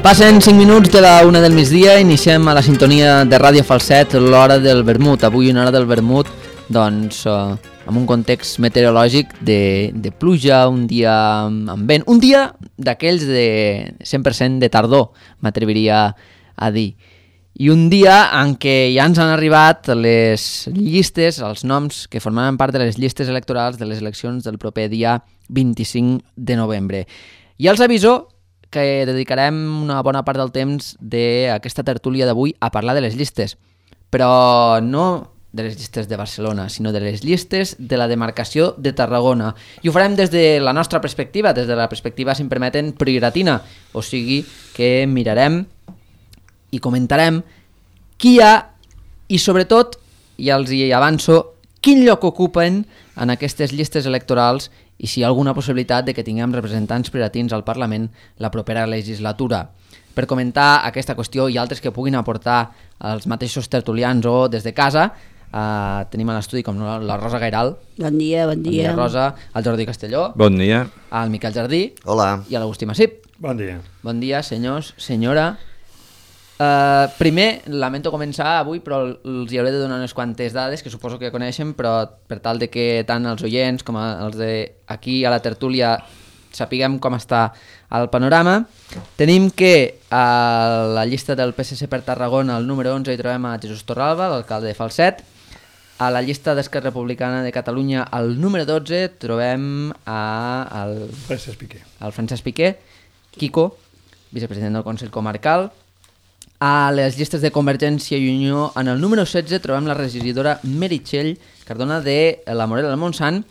Passen 5 minuts de la 1 del migdia, iniciem a la sintonia de Ràdio Falset l'hora del vermut. Avui una hora del vermut, doncs, amb un context meteorològic de pluja, un dia amb vent, un dia d'aquells de 100% de tardor, m'atreviria a dir. I un dia en què ja ens han arribat les llistes, els noms que formaran part de les llistes electorals de les eleccions del proper dia 25 de novembre. I els aviso que dedicarem una bona part del temps d'aquesta tertúlia d'avui a parlar de les llistes, però no de les llistes de Barcelona, sinó de les llistes de la demarcació de Tarragona. I ho farem des de la nostra perspectiva, des de la perspectiva, si em permeten, prioratina, o sigui que mirarem i comentarem qui hi ha i, sobretot, ja els hi avanço, quin lloc ocupen en aquestes llistes electorals i si hi ha alguna possibilitat de que tinguem representants prioratins al Parlament la propera legislatura. Per comentar aquesta qüestió i altres que puguin aportar els mateixos tertulians o des de casa, tenim a l'estudi com la Rosa Gairal. Bon dia, bon dia. Bon dia, Rosa. El Jordi Castelló. Bon dia. El Miquel Jardí. Hola. I l'Agustí Massip. Bon dia. Bon dia, senyors, senyora. Primer, lamento començar avui, però els hi hauré de donar unes quantes dades que suposo que coneixen, però per tal de que tant els oients com els d'aquí a la tertúlia sapiguem com està el panorama. Tenim que a la llista del PSC per Tarragona, al número 11, hi trobem a Jesús Torralba, l'alcalde de Falset. A la llista d'Esquerra Republicana de Catalunya, al número 12, trobem al Francesc Piqué, Quico, vicepresident del Consell Comarcal. A les llistes de Convergència i Unió, en el número 16, trobem la regidora Meritxell Cardona de la Morera del Montsant,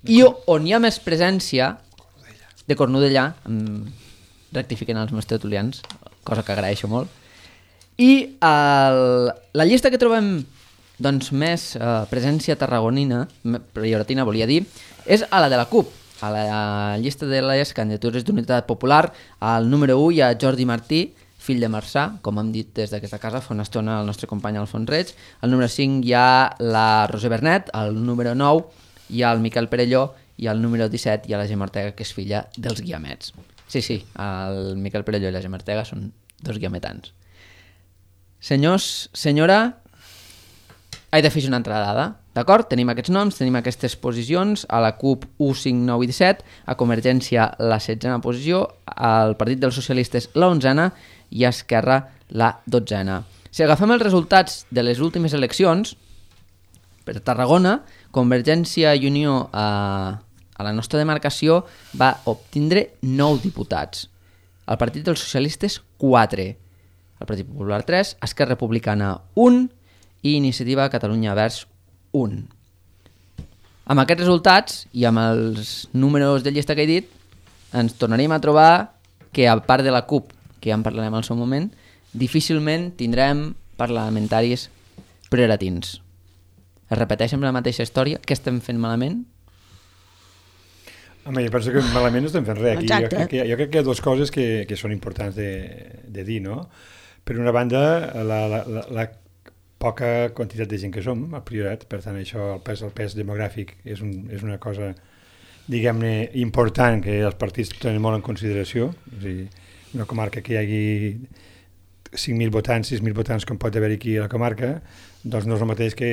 i on hi ha més presència de Cornudella, rectifiquen els meus tertulians, cosa que agraeixo molt. I la llista que trobem doncs, més presència tarragonina, prioratina volia dir, és a la de la CUP. A la llista de les candidatures d'Unitat Popular, al número 1 hi ha Jordi Martí, fill de Marçà, com hem dit des d'aquesta casa fa una estona el nostre company Alfons Reig. Al número 5 hi ha la Roser Bernet, al número 9 hi ha el Miquel Perelló i al número 17 hi ha la Gemma Ortega, que és filla dels guiamets. Sí, el Miquel Perelló i la Gemma Ortega són dos guiametans. Senyors, senyora, he de fer una altra dada, d'acord? Tenim aquests noms, tenim aquestes posicions, a la CUP 1, 5, 9 i 17, a Convergència la 16a posició, al Partit dels Socialistes la 11a i a Esquerra la 12a. Si agafem els resultats de les últimes eleccions, per Tarragona, Convergència i Unió a la nostra demarcació va obtindre 9 diputats. El Partit dels Socialistes 4, el Partit Popular 3, Esquerra Republicana 1 i Iniciativa Catalunya Verds 1. Amb aquests resultats i amb els números de llista que he dit, ens tornaríem a trobar que, a part de la CUP, que ja en parlarem al seu moment, difícilment tindrem parlamentaris prioratins. Es repeteix amb la mateixa història? Què estem fent malament? Home, jo penso que malament no estem fent res. Aquí, jo crec que hi ha dues coses que són importants de dir, no? Per una banda, la poca quantitat de gent que som, al Priorat, per tant, això, el pes demogràfic és una cosa, diguem-ne, important que els partits tenen molt en consideració. És a dir, una comarca que hi hagi 5.000 votants, 6.000 votants com pot haver aquí a la comarca, doncs no és el mateix que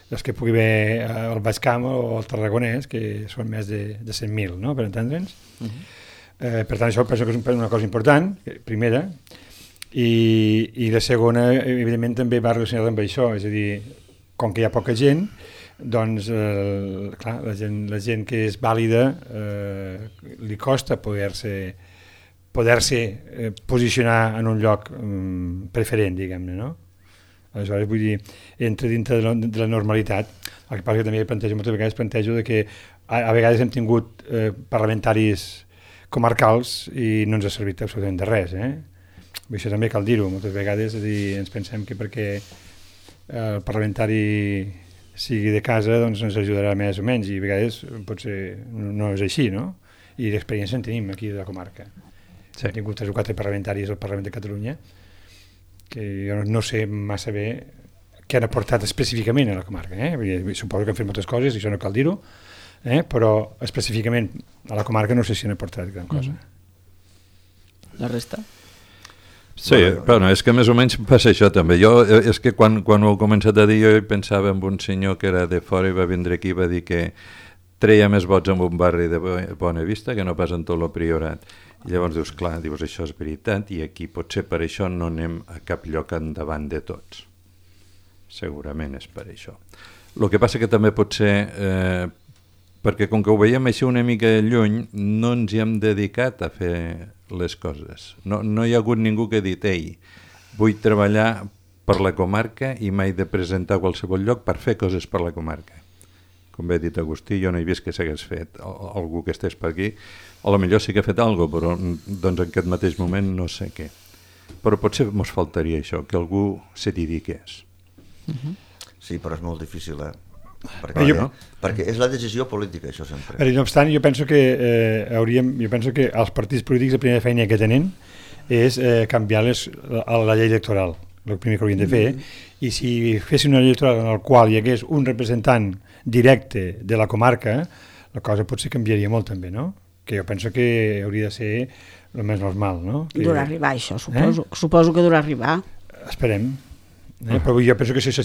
els que pugui haver al Baix Camp o al Tarragonès, que són més de 100.000, no?, per entendre'ns. Per tant, això penso que és una cosa important, primera, i la segona, evidentment, també va relacionada amb això, és a dir, com que hi ha poca gent, doncs, clar, la gent que és vàlida li costa poder-se posicionar en un lloc preferent, diguem-ne, no? Aleshores, vull dir, entra dintre de la normalitat. El que passa que també moltes vegades plantejo que a vegades hem tingut parlamentaris comarcals i no ens ha servit absolutament de res, Això també cal dir-ho, moltes vegades, és a dir, ens pensem que perquè el parlamentari sigui de casa doncs ens ajudarà més o menys, i a vegades potser no és així, no? I l'experiència en tenim aquí a la comarca. Sí. Hem tingut 3 o 4 parlamentaris al Parlament de Catalunya que jo no sé massa bé què han aportat específicament a la comarca. Suposo que han fet moltes coses, i això no cal dir-ho, però específicament a la comarca no sé si han aportat gran cosa. La resta? Sí, bueno, és que més o menys passa això també. Jo, és que quan ho he començat a dir, jo pensava en un senyor que era de fora i va vindre aquí i va dir que treia més vots en un barri de Bona Vista que no pas en tot el Priorat. I llavors dius, clar, això és veritat, i aquí potser per això no anem a cap lloc endavant de tots. Segurament és per això. El que passa que també pot ser, perquè com que ho veiem així una mica lluny, no ens hi hem dedicat a fer les coses. No hi ha hagut ningú que ha dit, ei, vull treballar per la comarca i m'he de presentar a qualsevol lloc per fer coses per la comarca. Com bé ha dit Agustí, jo no he vist que s'hagués fet algú que estés per aquí. A lo millor sí que ha fet alguna cosa, però doncs en aquest mateix moment no sé què. Però potser ens faltaria això, que algú se dediqués. Sí, però és molt difícil, perquè és la decisió política, això sempre. No obstant, jo penso que els partits polítics la primera feina que tenen és canviar la llei electoral, el primer que haurien de fer, i si fessin una llei electoral en la qual hi hagués un representant directe de la comarca, la cosa potser canviaria molt també, no? Que jo penso que hauria de ser el més normal, no? Durà arribar, això, suposo que durà arribar. Esperem. Però jo penso que això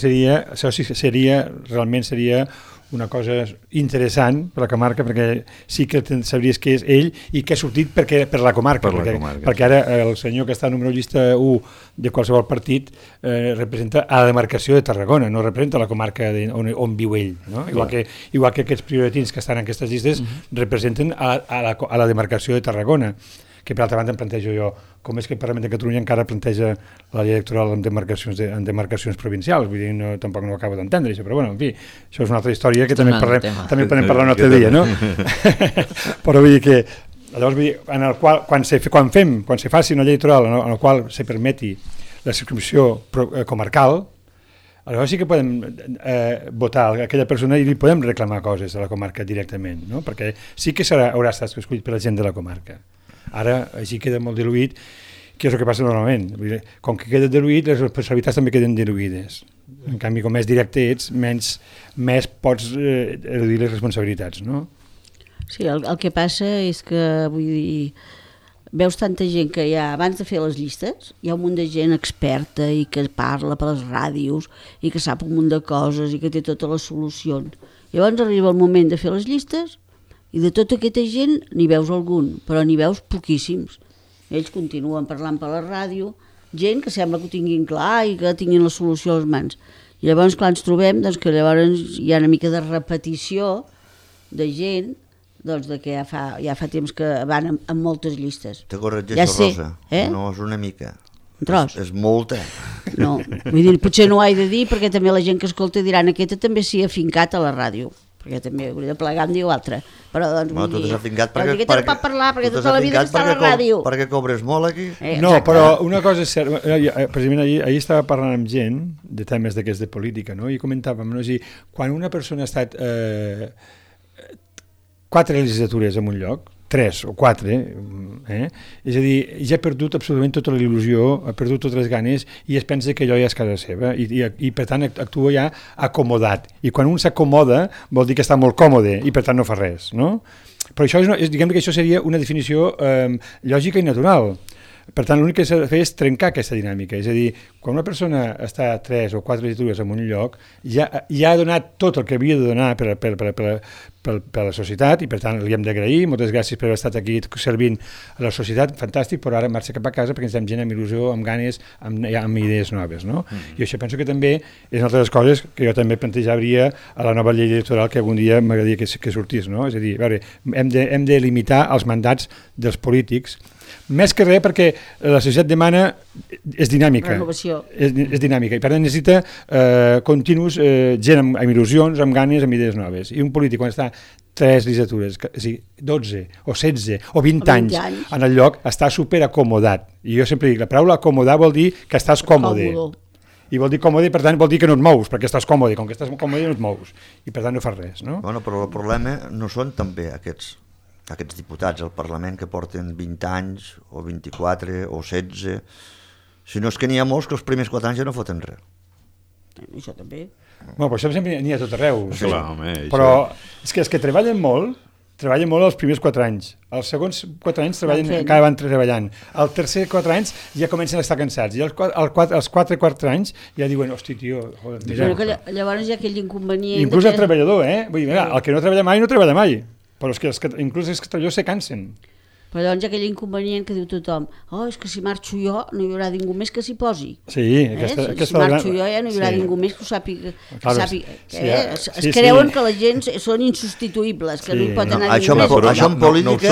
realment seria una cosa interessant per la comarca, perquè sí que sabries que és ell i que ha sortit per la comarca, perquè ara el senyor que està a número llista 1 de qualsevol partit representa a la demarcació de Tarragona, no representa la comarca on viu ell, no? Igual que aquests prioratins que estan en aquestes llistes representen a la demarcació de Tarragona, que per altra banda em plantejo jo, com és que el Parlament de Catalunya encara planteja la llei electoral en demarcacions provincials, vull dir, tampoc no ho acabo d'entendre això, però bueno, en fi, això és una altra història que també podem parlar un altre dia, no? Però vull dir que, llavors vull dir, en el qual, quan se faci una llei electoral en la qual se permeti la circumscripció comarcal, aleshores sí que podem votar a aquella persona i li podem reclamar coses a la comarca directament, no? Perquè sí que haurà estat escollit per la gent de la comarca. Ara així queda molt diluït, que és el que passa normalment. Com que queda diluït, les responsabilitats també queden diluïdes. En canvi, com més directe ets, més pots reduir les responsabilitats, no? Sí, el que passa és que, vull dir, veus tanta gent que ja, abans de fer les llistes, hi ha un munt de gent experta i que parla per les ràdios i que sap un munt de coses i que té totes les solucions. Llavors arriba el moment de fer les llistes i de tota aquesta gent n'hi veus algun, però n'hi veus poquíssims. Ells continuen parlant per la ràdio, gent que sembla que ho tinguin clar i que tinguin la solució a les mans. I llavors, clar, ens trobem que llavors hi ha una mica de repetició de gent de que ja fa temps que van amb moltes llistes. Te corregeixo, Rosa, no és una mica. Un tros. És molta. No, vull dir, potser no ho he de dir perquè també la gent que escolta diran aquesta també s'hi ha afincat a la ràdio, perquè també hauria de plegar em diu altre, però doncs tu t'has afincat perquè no pot parlar, perquè tota la vida està a la ràdio. Perquè cobres molt aquí? No, però una cosa és certa, precisament ahir estava parlant amb gent de temes d'aquests de política, no? I comentàvem, no? És a dir, quan una persona ha estat 4 legislatures en un lloc, 3 o 4, és a dir, ja ha perdut absolutament tota la il·lusió, ha perdut totes les ganes i es pensa que allò ja és casa seva i per tant actua ja acomodat. I quan un s'acomoda vol dir que està molt còmode i per tant no fa res, no? Però això diguem que això seria una definició lògica i natural. Per tant, l'únic que s'ha de fer és trencar aquesta dinàmica. És a dir, quan una persona està 3 o 4 legislatures en un lloc, ja ha donat tot el que havia de donar per la societat i, per tant, li hem d'agrair. Moltes gràcies per haver estat aquí servint a la societat, fantàstic, però ara marxa cap a casa perquè necessitem gent amb il·lusió, amb ganes, amb idees noves, no? I això penso que també és una de les coses que jo també plantejaria a la nova llei electoral que algun dia m'agradaria que sortís, no? És a dir, a veure, hem de limitar els mandats dels polítics, més que res perquè la societat demana és dinàmica. Renovació. És dinàmica i per tant necessita continus gent amb il·lusions, amb ganes, amb idees noves. I un polític quan està 3 legislatures, 12 o 16 o 20 anys en el lloc està superacomodat. I jo sempre dic, la paraula acomodar vol dir que estàs còmode. I vol dir còmode, per tant vol dir que no et mous, perquè estàs còmode. Com que estàs còmode no et mous. I per tant no fas res, no? Bueno, però el problema no són també aquests diputats al Parlament que porten 20 anys o 24 o 16, sinó és que n'hi ha molts que els primers 4 anys ja no foten res. Això també. Bueno, però això sempre n'hi ha tot arreu. Clar, home, però és que treballen molt treballen molt els primers 4 anys. Els segons 4 anys encara van treballant. El tercer 4 anys ja comencen a estar cansats. I els 4 anys ja diuen, hosti, tio... Però que llavors hi ha aquell inconvenient... Inclús el treballador, Vull dir, el que no treballa mai, no treballa mai. Però és que inclús els treballadors se cansen. Però llavors hi ha aquell inconvenient que diu tothom, és que si marxo jo no hi haurà ningú més que s'hi posi. Sí, si marxo jo ja no hi haurà ningú més que ho sàpiga. Es creuen que la gent són insubstituïbles, que no hi pot anar ningú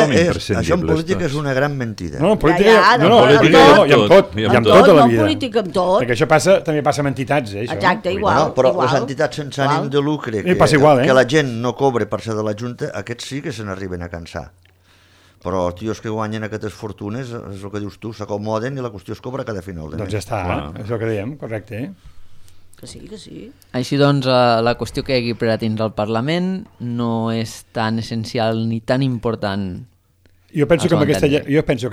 més. Això en política és una gran mentida. No, en política i amb tot. I amb tot a la vida. Perquè això també passa amb entitats, Exacte, igual. Però les entitats sense ànim de lucre, que la gent no cobre per ser de la Junta, aquests sí que se n'arriben a cansar. Però tios que guanyen aquestes fortunes, és el que dius tu, s'acomoden i la qüestió es cobra cada final de mes. Doncs ja està, és el que dèiem, correcte. Que sí. Així doncs, la qüestió que hi hagi per a tindre al Parlament no és tan essencial ni tan important. Jo penso que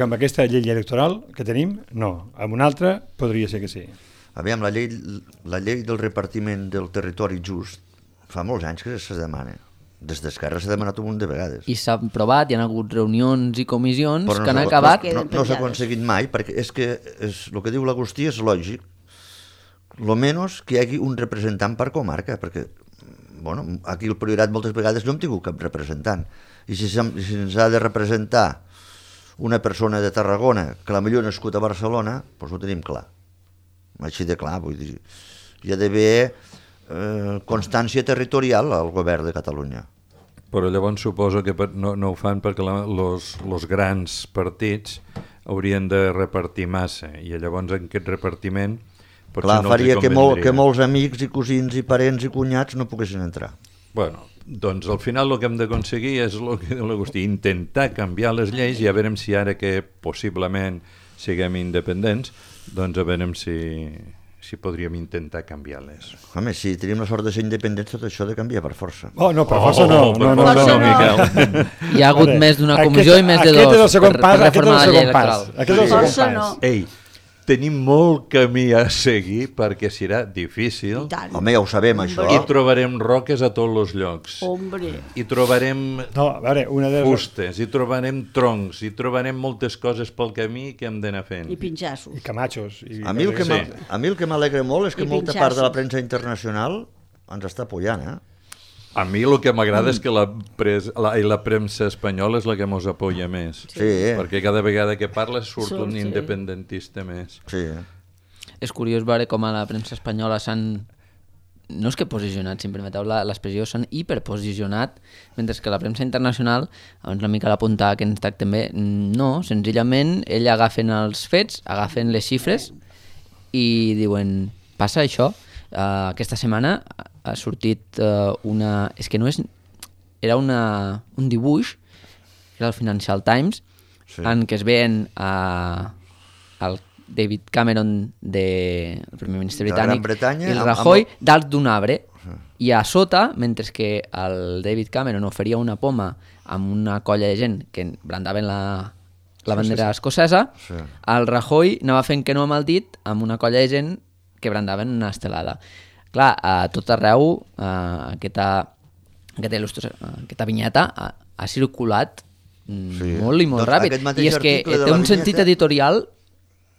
amb aquesta llei electoral que tenim, no. Amb una altra podria ser que sí. Aviam, la llei del repartiment del territori just fa molts anys que se demana. Des d'Esquerra s'ha demanat un munt de vegades. I s'ha provat, hi ha hagut reunions i comissions que han acabat... No s'ha aconseguit mai, perquè és que el que diu l'Agustí és lògic. Lo menys que hi hagi un representant per comarca, perquè aquí el Priorat moltes vegades no hem tingut cap representant. I si ens ha de representar una persona de Tarragona, que la millor nascut a Barcelona, doncs ho tenim clar. Així de clar, vull dir. Hi ha d'haver... constància territorial al govern de Catalunya. Però llavors suposo que no ho fan perquè els grans partits haurien de repartir massa i llavors en aquest repartiment clar, no faria que molts amics i cosins i parents i cunyats no poguessin entrar. Bueno, doncs al final el que hem d'aconseguir és el que diu l'Agustí, intentar canviar les lleis i a veure si ara que possiblement siguem independents, doncs a veure si podríem intentar canviar-les. Home, si tenim la sort de ser independents, tot això ha de canviar per força. No, per força no. Miquel. Hi ha hagut més d'una comissió i més de dos per reformar la llei electoral. Aquest és el segon pas. Ei, tenim molt camí a seguir perquè serà difícil. Home, ja ho sabem, això. I trobarem roques a tots els llocs. I trobarem fustes, i trobarem troncs, i trobarem moltes coses pel camí que hem d'anar fent. I pinxassos. I camachos. A mi el que m'alegra molt és que molta part de la premsa internacional ens està apoyant, A mi el que m'agrada és que la premsa espanyola és la que ens apoya més. Sí. Perquè cada vegada que parles surt un independentista més. Sí. És curiós veure com a la premsa espanyola s'han... No és que posicionat, si em permeteu l'expressió, s'han hiperposicionat, mentre que la premsa internacional, abans una mica l'apuntava que ens tracten bé, no, senzillament ell agafen els fets, agafen les xifres i diuen, passa això. Aquesta setmana ha sortit una... És que no és... Era un dibuix, era el Financial Times, en què es veien el David Cameron, el primer ministre britànic, i el Rajoy dalt d'un arbre, i a sota, mentre que el David Cameron oferia una poma amb una colla de gent que brandaven la bandera escocesa, el Rajoy anava fent que no amb el dit amb una colla de gent que brandaven una estelada. Clar, a tot arreu aquesta vinyeta ha circulat molt i molt ràpid. I és que té un sentit editorial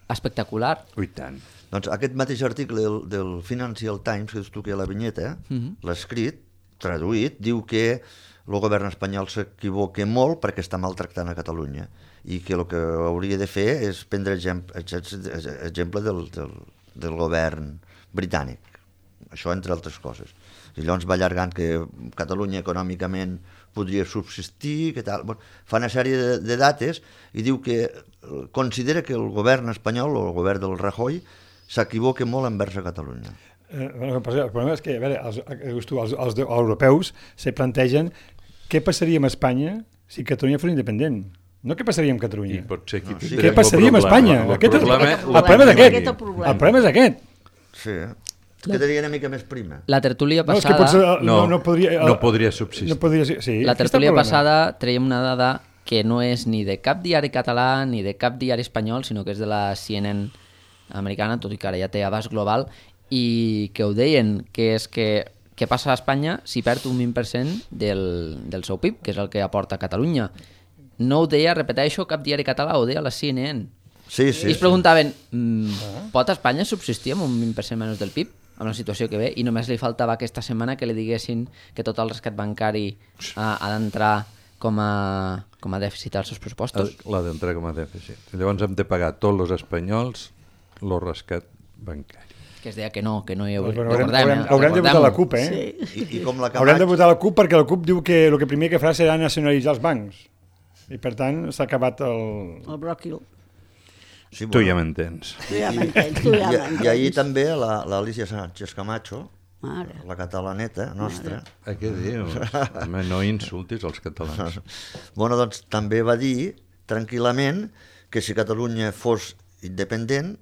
espectacular. Ui, tant. Doncs aquest mateix article del Financial Times, que dius tu que hi ha la vinyeta, l'ha escrit, traduït, diu que el govern espanyol s'equivoca molt perquè està maltractant a Catalunya i que el que hauria de fer és prendre exemple del govern britànic, això entre altres coses. I llavors va allargant que Catalunya econòmicament podria subsistir, que tal. Bueno, fa una sèrie de dates i diu que considera que el govern espanyol o el govern del Rajoy s'equivoca molt envers a Catalunya. El problema és que, a veure, els europeus se plantegen què passaria amb Espanya si Catalunya fos independent. No què passaria amb Catalunya. Què passaria amb Espanya? El problema és aquest. Sí, quedaria una mica més prima. La tertúlia passada... No podria subsistir. La tertúlia passada traiem una dada que no és ni de cap diari català ni de cap diari espanyol, sinó que és de la CNN americana, tot i que ara ja té abast global, i que ho deien, que és que què passa a Espanya si perd un 20% del seu PIB, que és el que aporta Catalunya. No ho deia, repeteixo, cap diari català, ho deia la CNN. Sí. I es preguntaven, pot Espanya subsistir amb un 20% menys del PIB, amb la situació que ve, i només li faltava aquesta setmana que li diguessin que tot el rescat bancari ha d'entrar com a dèficit als seus pressupostos? L'ha d'entrar com a dèficit. Llavors hem de pagar tots els espanyols el rescat bancari. Que es deia que no hi hauria... Haurem de votar la CUP, eh? Sí. I com la Haurem de votar la CUP perquè la CUP diu que el que primer que farà serà nacionalitzar els bancs. I per tant s'ha acabat el bròquil. Sí, Tu ja m'entens. I ahir també l'Alicia Sánchez Camacho, Mare. la catalaneta nostra. Què dius? Home, no insultis els catalans. Bueno, doncs també va dir tranquil·lament que si Catalunya fos independent,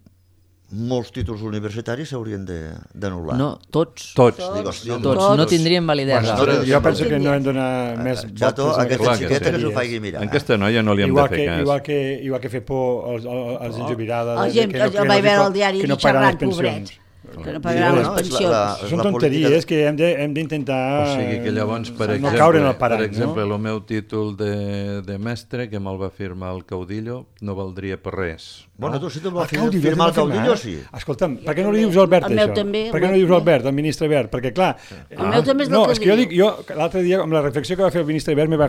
molts títols universitaris s'haurien d'anul·lar. No, tots. Tots. No tindrien validesa. Jo penso que no hem de donar més Chato, vots. aquesta xiqueta que s'ho faci mirar. En aquesta noia no li hem de fer cas. Igual que fer por als gent jubilada. El gent que vaig veure al diari xerrant, pobrets. Que no pagaran les pensions. Són tonteries que hem d'intentar O sigui que llavors, per exemple, el meu títol de mestre, que me'l va firmar el Caudillo, no valdria per res. Bueno, tu si te'l va firmar el Caudillo, sí. Escolta'm, per què no li dius Albert, això? Per què no li dius Albert, el ministre Albert? Perquè, clar... El meu també és del Caudillo. No, és que jo dic, l'altre dia, amb la reflexió que va fer el ministre Albert, m'hi va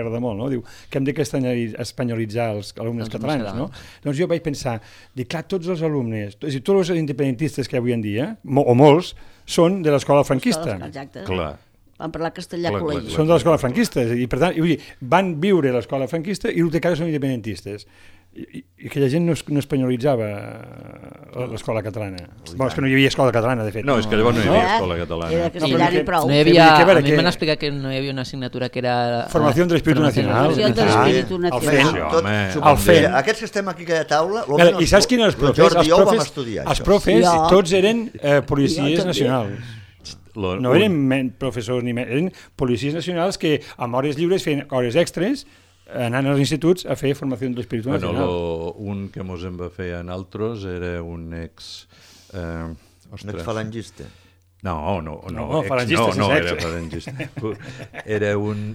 agradar molt, no? Diu que hem d'espanyolitzar els alumnes catalans, no? Doncs jo vaig pensar, clar, tots els alumnes, tots els independentistes que avui en dia, o molts, són de l'escola franquista. Exacte. Clar. Van parlar castellà a col·legi. Són de l'escola franquista, i per tant, van viure a l'escola franquista i el que ara són independentistes. I aquella gent no espanyolitzava l'escola catalana. Bueno, és que no hi havia escola catalana, de fet. No, és que llavors no hi havia escola catalana. Era castellà i prou. No hi havia, a mi m'han explicat que no hi havia una assignatura que era... Formació de l'Espíritu Nacional. Formació de l'Espíritu Nacional. El FEN. Aquests que estem aquí a taula... I saps quin és els profes? Tots eren policies nacionals. No eren professors ni eren policies nacionals que amb hores lliures feien hores extres anant als instituts a fer formació de l'Espíritu Nacional. Un que mos en va fer a nosaltres era un ex... Un ex-falangista. No, era falangista. Era un,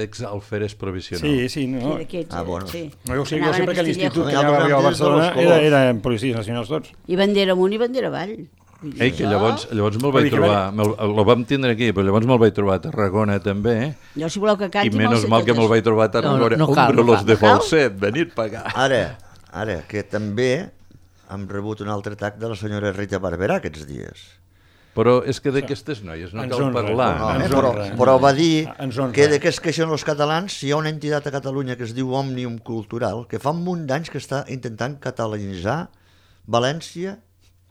ex-alferes provisional. Sí, no. Bueno. No, jo sé perquè l'institut que anava a Barcelona eren policies nacionals tots. I bandera amunt i bandera avall. Que llavors me'l vaig trobar, el vam tindre aquí, però llavors me'l vaig trobar a Tarragona també, Jo, si voleu que canti... i menys mal que me'l vaig trobar a Tarragona. Hombre, los de Falset, venir pagar. Ara, que també hem rebut un altre atac de la senyora Rita Barberà aquests dies. Però és que d'aquestes noies no cal parlar. Però va dir que de què es queixen els catalans si hi ha una entitat a Catalunya que es diu Òmnium Cultural, que fa un munt d'anys que està intentant catalanitzar València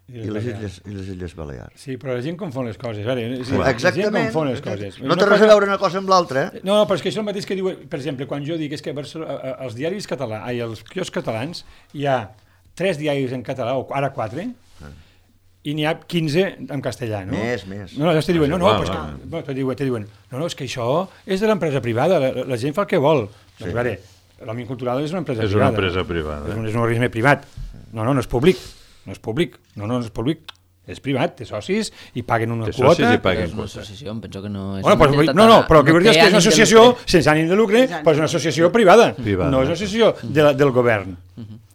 i les Illes Balears. Sí, però la gent confon les coses. Exactament. La gent confon les coses. No té res a veure una cosa amb l'altra. No, però és que això el mateix que diu, per exemple, quan jo dic és que als diaris catalans, als quioscs catalans, hi ha 3 diaris en català, o ara 4, i n'hi ha 15 en castellà, no? Més. No, llavors te diuen, no, és que això és de l'empresa privada, la gent fa el que vol. Doncs, a veure, l'Òmnium Cultural és una empresa privada. És una empresa privada. És un organisme privat. No és públic. No és públic, és privat, té socis i paguen una quota. És una associació, em penso que no és... Però el que vull dir és que és una associació sense ànim de lucre, però és una associació privada, no és una associació del govern.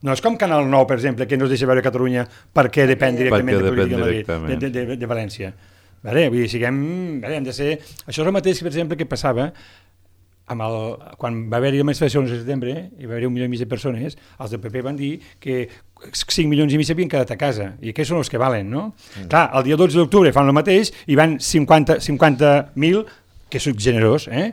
No és com Canal 9, per exemple, que no es deixa veure Catalunya perquè depèn directament de política de Madrid, de València. Vull dir, hem de ser... Això és el mateix, per exemple, que passava quan va haver-hi la manifestació el 11 de setembre, i va haver-hi 1,5 milió de persones, els del PP van dir que 5,5 milions havien quedat a casa, i aquests són els que valen, no? Clar, el dia 12 d'octubre fan el mateix, i van 50.000, que és generós, i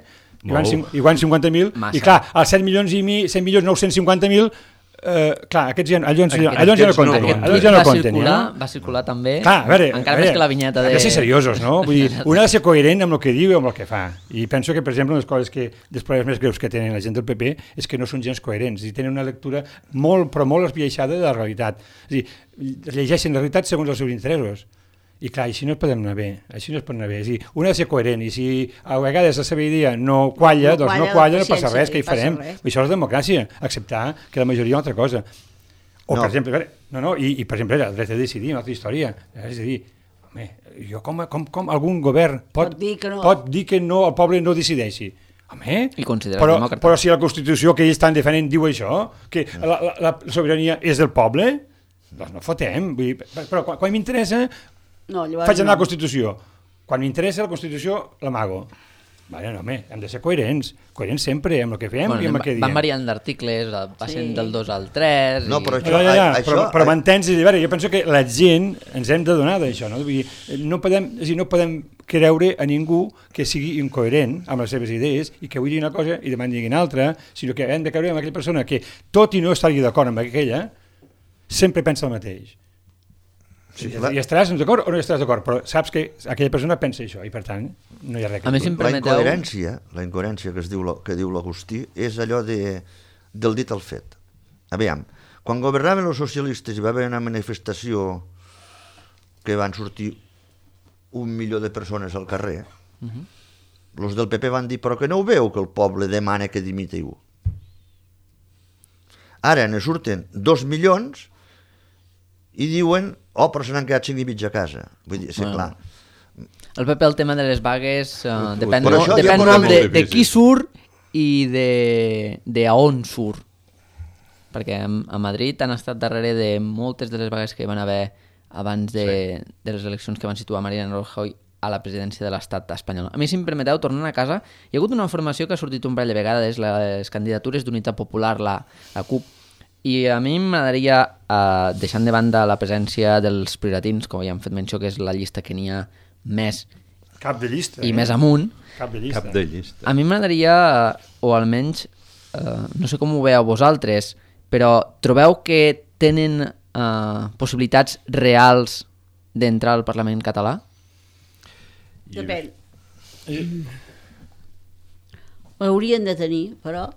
van 50.000, i clar, els 7.950.000, clar, aquests allò ja no compten. Va circular també, encara més que la vinyeta de... Hem de ser seriosos, no? Vull dir, un ha de ser coherent amb el que diu i amb el que fa. I penso que, per exemple, una de les coses dels problemes més greus que tenen la gent del PP és que no són gens coherents i tenen una lectura molt esbiaixada de la realitat. És a dir, llegeixen la realitat segons els seus interessos. I clar, així no es podem anar bé, És a dir, un ha de ser coherent, i si a vegades la seva idea no qualla, doncs no passa res, què hi farem? Això és democràcia, acceptar que la majoria és una altra cosa. O, per exemple, i per exemple, el dret a decidir, una altra història. És a dir, jo com algun govern pot dir que no, el poble no decideixi. Home, però si la Constitució que ells estan defendent diu això, que la sobirania és del poble, doncs no fotem. Però quan m'interessa faig anar la Constitució. Quan m'interessa la Constitució l'amago. Vale, no, hem de ser coherents sempre amb el que fem i amb el que diem. Van variant d'articles, passen del 2 al 3... No, però però m'entens? Jo penso que la gent ens hem de donar d'això, no? No podem creure a ningú que sigui incoherent amb les seves idees i que avui digui una cosa i demà digui una altra, sinó que hem de creure en aquella persona que, tot i no estar-hi d'acord amb aquella, sempre pensa el mateix. Sí, i estaràs d'acord o no estaràs d'acord, però saps que aquella persona pensa això i per tant no hi ha res que dir. La incoherència que diu l'Agustí és allò del dit al fet. Aviam, quan governaven els socialistes i va haver una manifestació que van sortir 1 milió de persones al carrer, els del PP van dir però que no ho veu que el poble demana que dimitiu. Ara ne surten 2 milions i diuen però se n'han quedat 5 i mig a casa. Vull dir, clar. El PP, el tema de les vagues, depèn molt de qui surt i de on surt. Perquè a Madrid han estat darrere de moltes de les vagues que van haver abans de les eleccions que van situar Mariano Rajoy a la presidència de l'estat espanyol. A mi, si em permeteu, tornant a casa, hi ha hagut una formació que ha sortit un parell de vegades, les candidatures d'Unitat Popular, la CUP, i a mi m'agradaria, deixant de banda la presència dels prioratins, com ja hem fet menció, que és la llista que n'hi ha més cap de llista, i més amunt, cap de llista. A mi m'agradaria, o almenys, no sé com ho veieu vosaltres, però trobeu que tenen possibilitats reals d'entrar al Parlament català? Depèn. Ho haurien de tenir, però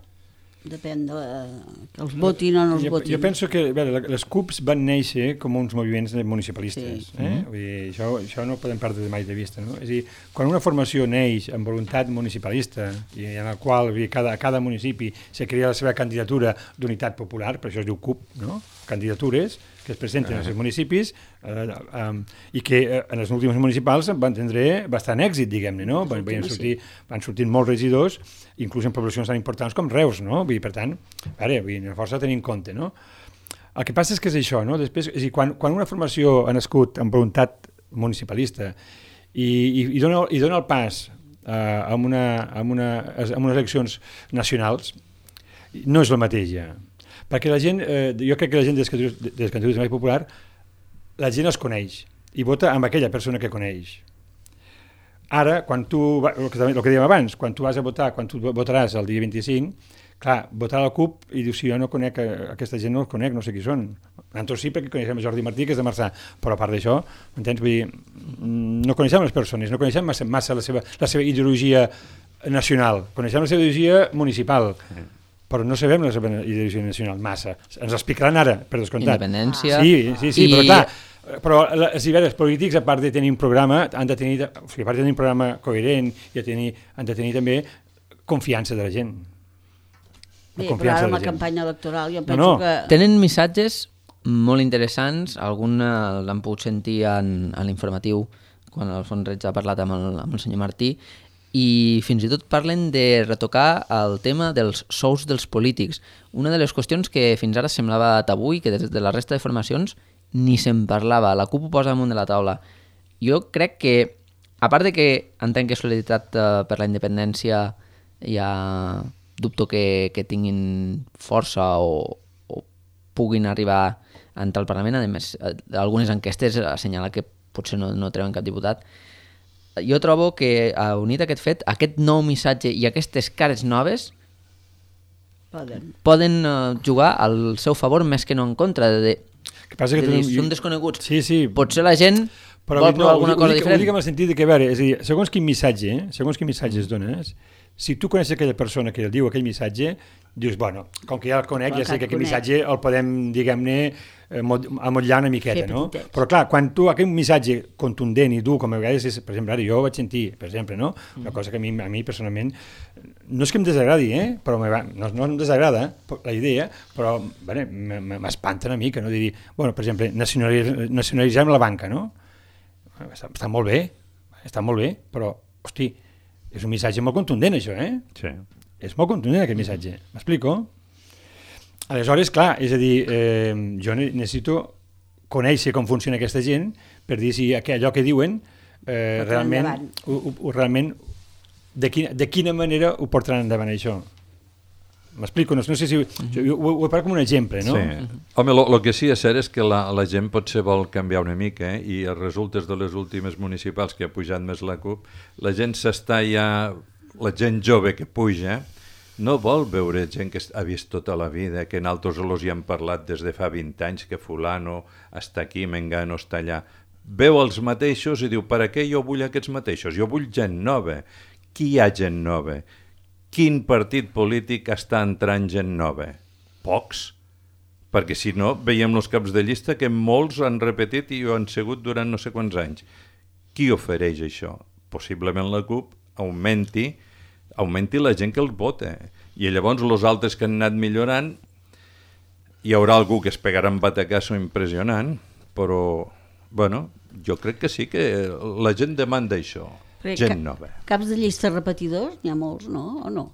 depèn de que els votin o no els votin. Jo penso que les CUPs van néixer com uns moviments municipalistes. Vull dir, això no ho podem perdre mai de vista. No? És a dir, quan una formació neix amb voluntat municipalista i en la qual cada municipi se crea la seva candidatura d'unitat popular, per això es diu CUP, no? Candidatures que es presenten als municipis i que en els últims municipals van tindre bastant èxit, diguem-ne, no? Van sortir molts regidors, inclús en poblacions tan importants com Reus, no? Vull dir, per tant, una força a tenir en compte, no? El que passa és que és això, no? Després, és a dir, quan una formació ha nascut amb voluntat municipalista i dona el pas a unes eleccions nacionals, no és el mateix ja. Perquè la gent, jo crec que la gent de les candidatures més popular, la gent els coneix i vota amb aquella persona que coneix. Ara, quan tu, el que dèiem abans, quan tu vas a votar, quan tu votaràs el dia 25, clar, votar a la CUP i dius, si jo no conec, aquesta gent no els conec, no sé qui són. Nosaltres sí, perquè coneixem Jordi Martí, que és de Marçà, però a part d'això, m'entens? Vull dir, no coneixem les persones, no coneixem massa la seva ideologia nacional, coneixem la seva ideologia municipal, però no sabem la seva ideologia nacional massa. Ens explicaran ara, per descomptat. Independència. Sí, però clar, els polítics, a part de tenir un programa, han de tenir, a part de tenir un programa coherent, han de tenir també confiança de la gent. Però ara amb la campanya electoral jo penso que... Tenen missatges molt interessants, algun l'han pogut sentir en l'informatiu, quan Alfons Reig ha parlat amb el senyor Martí, i fins i tot parlen de retocar el tema dels sous dels polítics. Una de les qüestions que fins ara semblava tabú i que des de la resta de formacions ni se'n parlava. La CUP ho posa damunt de la taula. Jo crec que, a part de que entenc que Solidaritat per la Independència ja dubto que tinguin força o puguin arribar a entrar al Parlament, a més, algunes enquestes assenyalen que potser no treuen cap diputat. Jo trobo que, unit a aquest fet, aquest nou missatge i aquestes cares noves poden jugar al seu favor més que no en contra. Són desconeguts. Sí. Potser la gent vol provar alguna cosa diferent. Ho dic en el sentit que, a veure, és a dir, segons quin missatge es dones, si tu coneixes aquella persona que el diu aquell missatge, dius, bueno, com que ja el conec, ja sé que aquest missatge el podem, diguem-ne, amotllar una miqueta, no? Però clar, quan tu aquell missatge contundent i dur, com a vegades és, per exemple, ara jo vaig sentir, per exemple, no? Una cosa que a mi personalment, no és que em desagradi, però no em desagrada la idea, però m'espanta una mica, no? De dir, bueno, per exemple, nacionalitzem la banca, no? Està molt bé, però, hosti, és un missatge molt contundent, això, Sí. És molt contundent, aquest missatge. M'explico? Aleshores, clar, és a dir, jo necessito conèixer com funciona aquesta gent per dir si allò que diuen realment de quina manera ho portaran endavant, això. M'explico? No sé si... Jo ho he parlat com un exemple, no? Sí. Home, el que sí és cert és que la gent potser vol canviar una mica, i els resultats de les últimes municipals que ha pujat més la CUP, la gent s'està ja... La gent jove que puja no vol veure gent que ha vist tota la vida, que nosaltres els hi hem parlat des de fa 20 anys, que fulano està aquí, mengano està allà. Veu els mateixos i diu, per què jo vull aquests mateixos? Jo vull gent nova. Qui hi ha gent nova? Quin partit polític està entrant gent nova? Pocs. Perquè si no, veiem els caps de llista que molts han repetit i ho han sigut durant no sé quants anys. Qui ofereix això? Possiblement la CUP augmenti la gent que els vota. I llavors els altres que han anat millorant, hi haurà algú que es pegarà un batacasso impressionant, però, bueno, jo crec que sí que la gent demanda això. Gent nova. Caps de llista repetidors, n'hi ha molts, no? O no?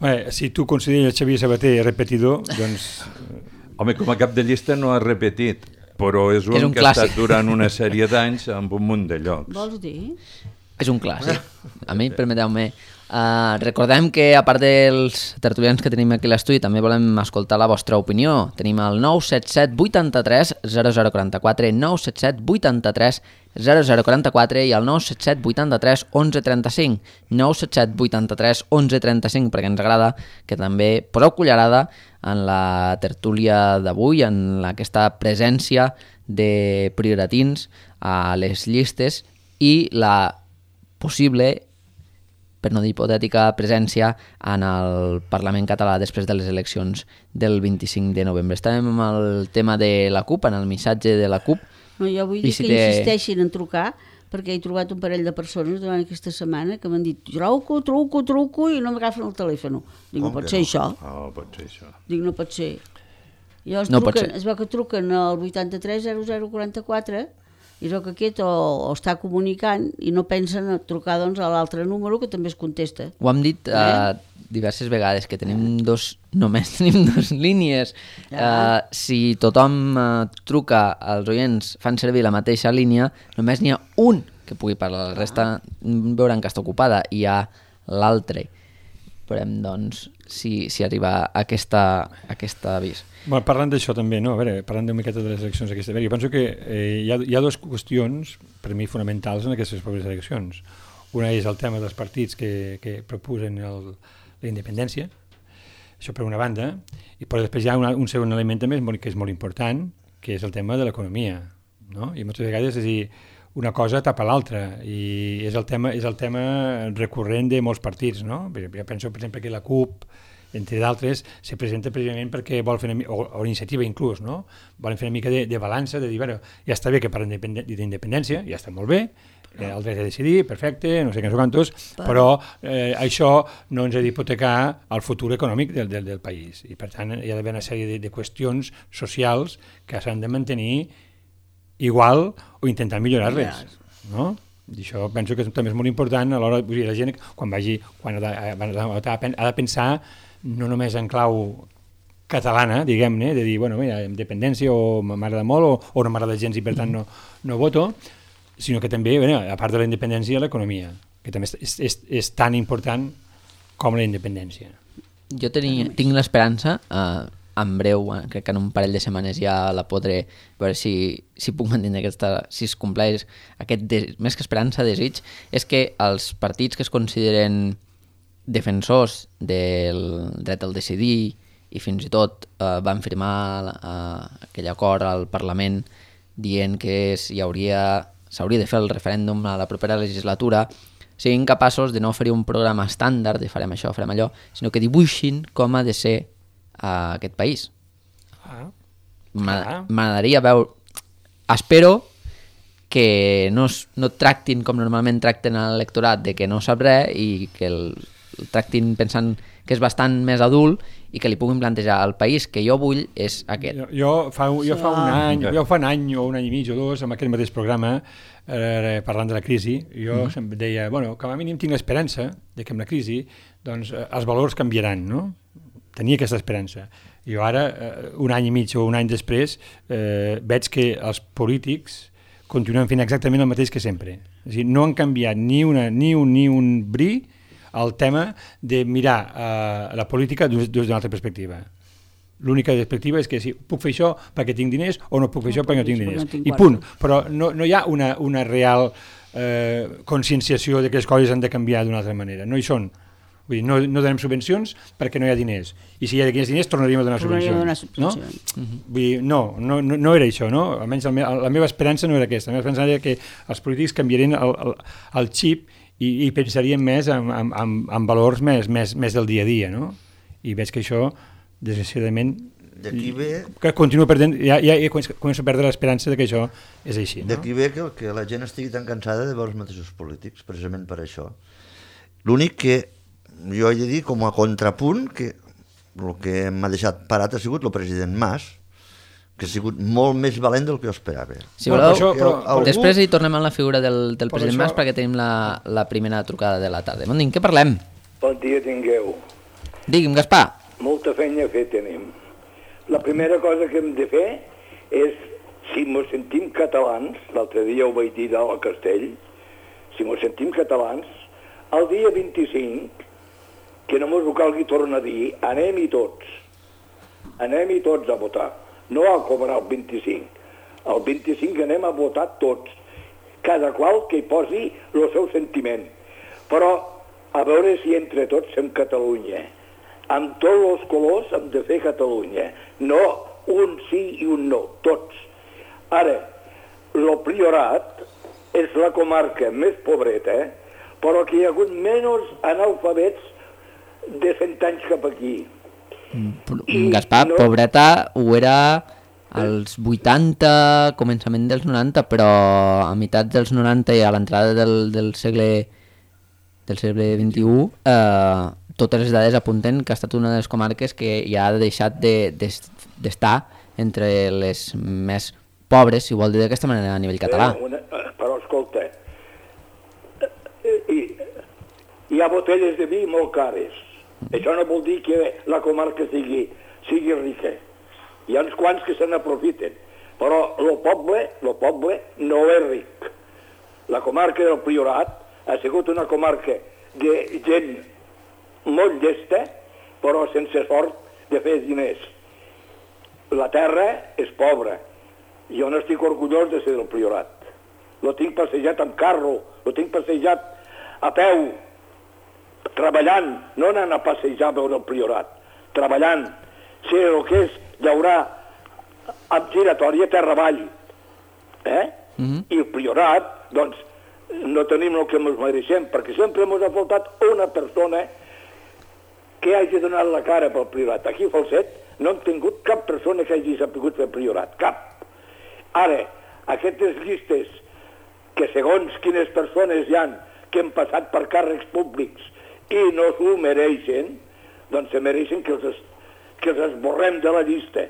Bé, si tu consideres Xavier Sabater repetidor, doncs... Home, com a cap de llista no ha repetit, però és un que clàssic. Ha estat durant una sèrie d'anys amb un munt de llocs. Vols dir? És un clàssic. A mi, permeteu-me. Recordem que, a part dels tertulians que tenim aquí a l'estudi, també volem escoltar la vostra opinió. Tenim el 977 83 0044, 977 83 0044 i el 977 83 1135, 977 83 1135, perquè ens agrada que també poseu cullerada en la tertúlia d'avui, en aquesta presència de prioratins a les llistes i la possible, per no dir hipotètica, presència en el Parlament català després de les eleccions del 25 de novembre. Estàvem amb el tema de la CUP, en el missatge de la CUP. No, jo vull dir que insisteixin en trucar, perquè he trobat un parell de persones durant aquesta setmana que m'han dit truco i no m'agafen el telèfon. Dic, no pot ser això. No pot ser això. Dic, no pot ser. I llavors es veu que truquen al 83 0044 i es veu que aquest o està comunicant i no pensen a trucar doncs, a l'altre número que també es contesta. Ho hem dit diverses vegades, que només tenim dues línies. Si tothom truca, els oients fan servir la mateixa línia, només n'hi ha un que pugui parlar, la resta veuran que està ocupada, i hi ha l'altre. Veurem, doncs, si arriba aquest avís. Bueno, parlant d'això també, no? A veure, parlant una miqueta de les eleccions aquestes, jo penso que hi ha dues qüestions, per mi, fonamentals en aquestes properes eleccions. Una és el tema dels partits que proposen la independència, això per una banda, però després hi ha un segon element també que és molt important, que és el tema de l'economia, no? I moltes vegades, és a dir, una cosa tapa l'altra, i és el tema recurrent de molts partits, no? Jo penso, per exemple, que la CUP, entre d'altres, se presenta precisament perquè vol fer o iniciativa inclús, no? Volen fer una mica de balança, de dir, bueno, ja està bé que parlen d'independència, ja està molt bé, el dret a decidir, perfecte, no sé què, no sé quantos, però això no ens ha d'hipotecar el futur econòmic del país. I per tant hi ha d'haver una sèrie de qüestions socials que s'han de mantenir igual o intentar millorar-les, no? I això penso que també és molt important a l'hora de la gent quan ha de pensar no només en clau catalana, diguem-ne, de dir, bueno, mira, independència o m'agrada molt o no m'agrada gens i per tant no voto, sinó que també, a part de la independència, l'economia, que també és tan important com la independència. Jo tinc l'esperança, en breu, crec que en un parell de setmanes ja la podré veure si puc mantenir si es compleix aquest, més que esperança, desig, és que els partits que es consideren defensors del dret al decidir i fins i tot van firmar aquell acord al Parlament dient que s'hauria de fer el referèndum a la propera legislatura, siguin capaços de no oferir un programa estàndard de farem això, farem allò, sinó que dibuixin com ha de ser aquest país. M'agradaria veure... Espero que no tractin com normalment tracten l'electorat, de que no sap res, i que el tractin pensant que és bastant més adult i que li puguin plantejar al país que jo vull és aquest. Jo fa un any o un any i mig o dos, amb aquest mateix programa, parlant de la crisi, jo sempre deia, bueno, com a mínim tinc l'esperança de que amb la crisi doncs, els valors canviaran, no? Tenia aquesta esperança. Jo ara, un any i mig o un any després, veig que els polítics continuen fent exactament el mateix que sempre. És a dir, no han canviat ni un bri el tema de mirar la política des d'una altra perspectiva. L'única perspectiva és que si puc fer això perquè tinc diners o no puc fer això perquè no tinc diners. I punt. Però no hi ha una real conscienciació de que les coses han de canviar d'una altra manera. No hi són. Vull dir, no donem subvencions perquè no hi ha diners. I si hi ha diners tornaríem a donar subvencions. No? Vull dir, no era això, no? Almenys la meva esperança no era aquesta. La meva esperança era que els polítics canviarien el xip i pensarien més en valors més del dia a dia, no? I veig que això, desgraciadament, que continuo perdent, ja començo a perdre l'esperança de que això és així. No? D'aquí ve que la gent estigui tan cansada de veure els mateixos polítics, precisament per això. L'únic que jo he de dir, com a contrapunt, que el que m'ha deixat parat ha sigut el president Mas, que ha sigut molt més valent del que jo esperava. Si voleu, després hi tornem a la figura del president Mas perquè tenim la primera trucada de la tarda. Bon dia, què parlem? Bon dia tingueu. Digui'm, Gaspar. Molta feina a fer tenim. La primera cosa que hem de fer és, si mos sentim catalans, l'altre dia ho vaig dir al Castell, si mos sentim catalans, el dia 25, que no mos ho calgui tornar a dir, anem-hi tots a votar, no a cobrar el 25. El 25 anem a votar tots, cada qual que hi posi el seu sentiment. Però a veure si entre tots fem Catalunya. Amb tots els colors hem de fer Catalunya, no un sí i un no, tots. Ara, el Priorat és la comarca més pobreta, però que hi ha hagut menys analfabets de 100 anys cap aquí. Gaspar, pobreta ho era als 80, començament dels 90, però a meitat dels 90 i a l'entrada del segle XXI, totes les dades apunten que ha estat una de les comarques que ja ha deixat d'estar entre les més pobres, si vol dir d'aquesta manera, a nivell català. Però escolta, hi ha botelles de vi molt cares. Això no vol dir que la comarca sigui rica. Hi ha uns quants que se n'aprofiten, però el poble no és ric. La comarca del Priorat ha sigut una comarca de gent molt llesta, però sense sort de fer diners. La terra és pobra. Jo no estic orgullós de ser del Priorat. Lo tinc passejat amb carro, lo tinc passejat a peu, treballant, no anant a passejar a veure el Priorat, treballant. Sé el que és llaurar amb giratòria terra avall. I el Priorat, doncs, no tenim el que ens mereixem, perquè sempre ens ha faltat una persona que hagi donat la cara pel Priorat. Aquí a Falset no hem tingut cap persona que hagi sabut fer Priorat, cap. Ara, aquestes llistes que segons quines persones hi han que han passat per càrrecs públics i no s'ho mereixen, doncs se mereixen que els esborrem de la llista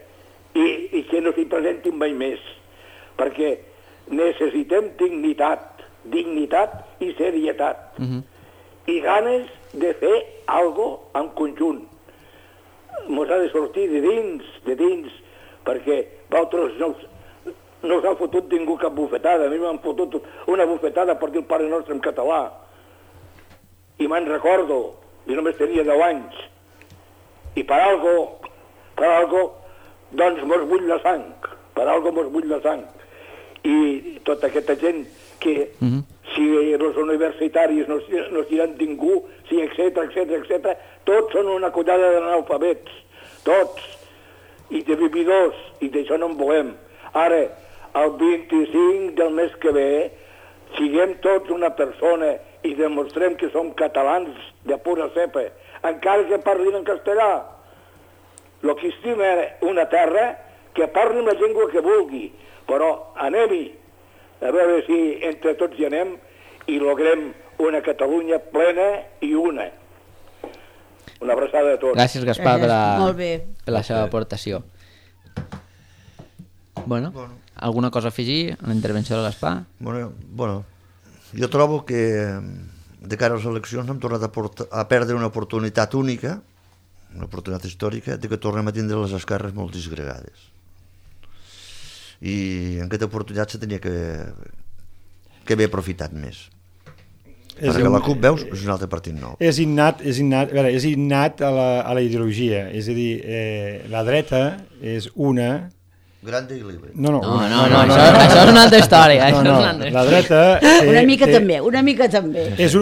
i que no s'hi presentin mai més, perquè necessitem dignitat i serietat i ganes de fer algo en conjunt. Mos ha de sortir de dins, perquè vosaltres no us ha fotut ningú cap bufetada. A mi m'han fotut una bufetada per dir el Pare Nostre en català. I me'n recordo, i només tenia 10 anys. I per algo, doncs mos bull la sang. Per algo mos bull la sang. I tota aquesta gent que si els universitaris no diran ningú, si etcètera, tots són una collada d'analfabets, tots, i de vividors, i d'això no en volem. Ara, el 25 del mes que ve, siguem tots una persona i demostrem que som catalans de pura cepa, encara que parlin en castellà. El que estima una terra, que parlin la llengua que vulgui, però anem-hi, a veure si entre tots hi anem i logrem una Catalunya plena i una. Una abraçada a tots. Gràcies, Gaspar, Molt bé. per la seva aportació. Bueno, alguna cosa a afegir a la intervenció del Gaspar? Bueno, jo trobo que de cara a les eleccions hem tornat a perdre una oportunitat única, una oportunitat històrica, de que tornem a tindre les esquerres molt disgregades. I en aquesta oportunitat se tenia que haver aprofitat més. Perquè la CUP, veus, és un altre partit nou. És innat a la ideologia, és a dir, la dreta és una... Grande i libre. No, això és una altra història. La dreta... Una mica també. És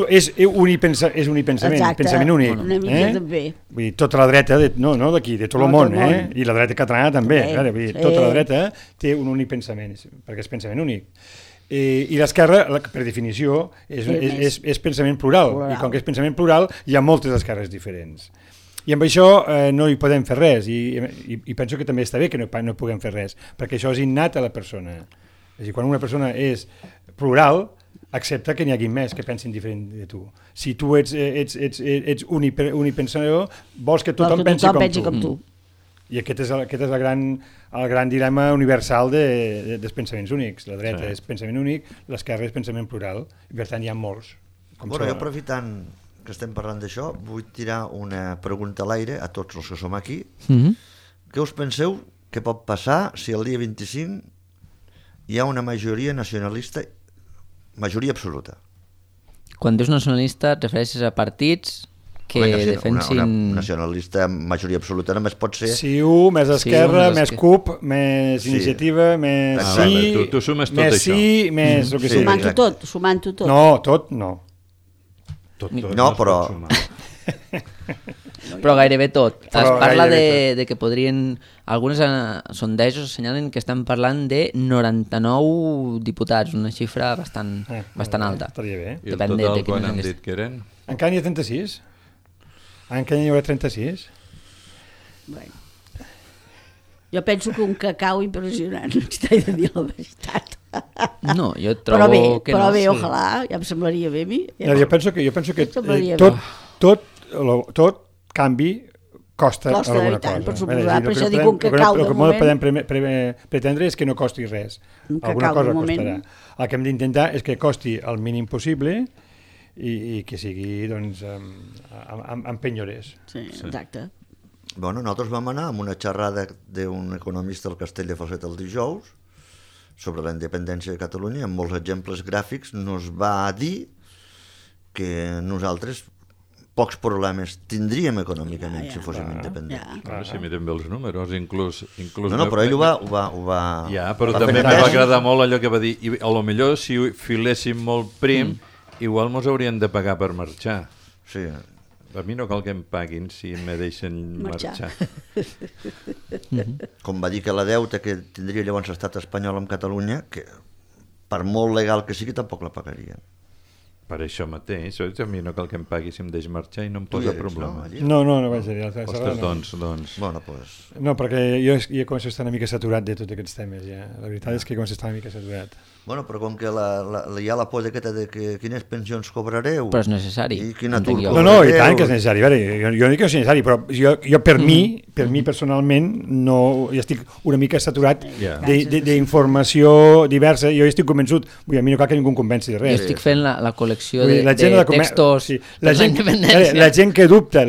unipensament, pensament únic. Una mica també. Vull dir, tota la dreta, no d'aquí, de tot el món, i la dreta catalana també. Tota la dreta té un únic pensament, perquè és pensament únic. I l'esquerra, per definició, és pensament plural. I com que és pensament plural, hi ha moltes esquerres diferents. I amb això no hi podem fer res. I penso que també està bé que no puguem fer res, perquè això és innat a la persona. És a dir, quan una persona és plural, accepta que n'hi hagi més que pensin diferent de tu. Si tu ets unipensador, vols que tothom pensi com tu. I aquest és el gran dilema universal dels pensaments únics. La dreta és pensament únic, l'esquerra és pensament plural, i per tant hi ha molts. Jo aprofitant que estem parlant d'això, vull tirar una pregunta a l'aire a tots els que som aquí. Què us penseu que pot passar si el dia 25 hi ha una majoria nacionalista, majoria absoluta? Quan dius nacionalista et refereixes a partits que defensin... Una nacionalista majoria absoluta només pot ser... CiU, més Esquerra, més CUP, més Iniciativa, més Sí, tu sumes tot més això. Sí, més... Sumant-ho tot. No, tot no. No, però... Però gairebé tot. Es parla de que podrien... Alguns sondejos assenyalen que estan parlant de 99 diputats, una xifra bastant alta. Estaria bé. I el total quan han dit que eren? Encara n'hi ha 36. Encara n'hi haurà 36. Bueno. Jo penso que un cacau impressionant, t'he de dir la veritat. No, jo trobo que no. Però bé, ojalà, ja em semblaria bé a mi. Jo penso que tot canvi costa alguna cosa. Per suposar, per això dic un cacau de moment. El que podem pretendre és que no costi res. Alguna cosa costarà. El que hem d'intentar és que costi el mínim possible i que sigui doncs, amb penyores. Sí, exacte. Bueno, nosaltres vam anar amb una xerrada d'un economista del Castell de Falset el dijous sobre la independència de Catalunya, amb molts exemples gràfics, nos va dir que nosaltres pocs problemes tindríem econòmicament si fóssim independents. Si mirem bé els números, inclús... No, però ell ho va... Ja, però també me va agradar molt allò que va dir, i a lo millor si filéssim molt prim, igual mos haurien de pagar per marxar. Sí. A mi no cal que em paguin si me deixen marxar. Com va dir que la deuta que tindria llavors l'estat espanyol amb Catalunya, que per molt legal que sigui tampoc la pagarien. Per això mateix, a mi no cal que em pagui si em deix marxar i no em posa problema. No vaig dir. Ostres, doncs... Bueno, pues... No, perquè jo començo a estar una mica saturat de tots aquests temes, ja. La veritat és que començo a estar una mica saturat. Bueno, però com que hi ha la por d'aquesta de que quines pensions cobrareu... Però és necessari. I quin atur cobrareu... No, i tant que és necessari. Jo no dic que és necessari, però jo per mi personalment, jo estic una mica saturat d'informació diversa. Jo estic convençut, a mi no cal que ningú em convenci de res. Jo estic fent la col·lecció de textos per la independència. La gent que dubta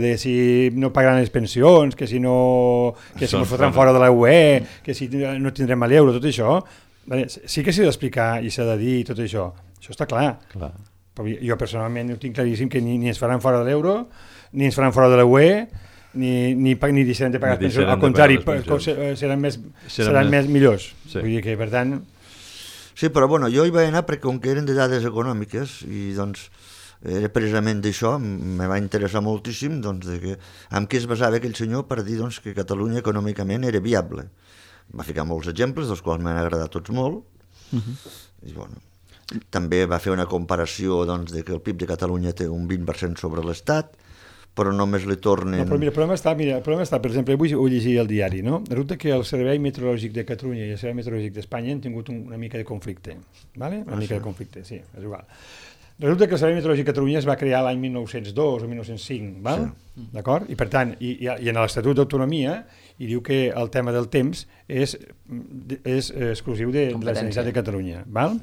de si no pagaran les pensions, que si ens fotran fora de la UE, que si no tindrem l'euro, tot això... Sí que s'ha d'explicar i s'ha de dir tot això. Això està clar. Però jo personalment ho tinc claríssim que ni ens faran fora de l'euro, ni ens faran fora de la UE, ni deixaran de pagar pensions. Al contrari, seran més millors. Vull dir que, per tant... Sí, però bueno, jo hi vaig anar perquè com que eren de dades econòmiques i doncs era precisament d'això, me va interessar moltíssim doncs, de que, amb què es basava aquell senyor per dir doncs, que Catalunya econòmicament era viable. Va ficar molts exemples, dels quals m'han agradat tots molt, i bueno, també va fer una comparació doncs, de que el PIB de Catalunya té un 20% sobre l'Estat, però només li tornen... No, però mira, el problema està, per exemple, avui ho llegia al diari, no? Resulta que el Servei Meteorològic de Catalunya i el Servei Meteorològic d'Espanya han tingut una mica de conflicte, ¿vale? Una mica de conflicte, sí, és igual. Resulta que el Servei Meteorològic de Catalunya es va crear l'any 1902 o 1905, val? Sí. D'acord? I per tant, i en l'Estatut d'Autonomia hi diu que el tema del temps és exclusiu de la Generalitat de Catalunya, val?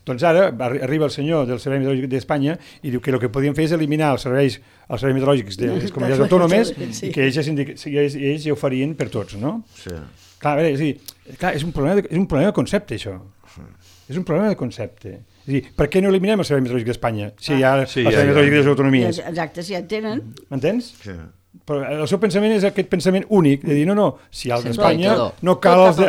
Doncs ara arriba el senyor del Servei Meteorològic d'Espanya i diu que el que podien fer és eliminar els serveis meteorològics de les comunitats autònomes i que ells ja ho farien per tots, no? Sí. Clar, a veure, és un problema de concepte, això. És un problema de concepte. És a dir, per què no eliminem el Servei Meteorològic d'Espanya si hi ha el Servei Meteorològic de les autonomies? Exacte, si ja en tenen. M'entens? Sí. Però el seu pensament és aquest pensament únic, de dir, no, si hi ha el d'Espanya, no cal els de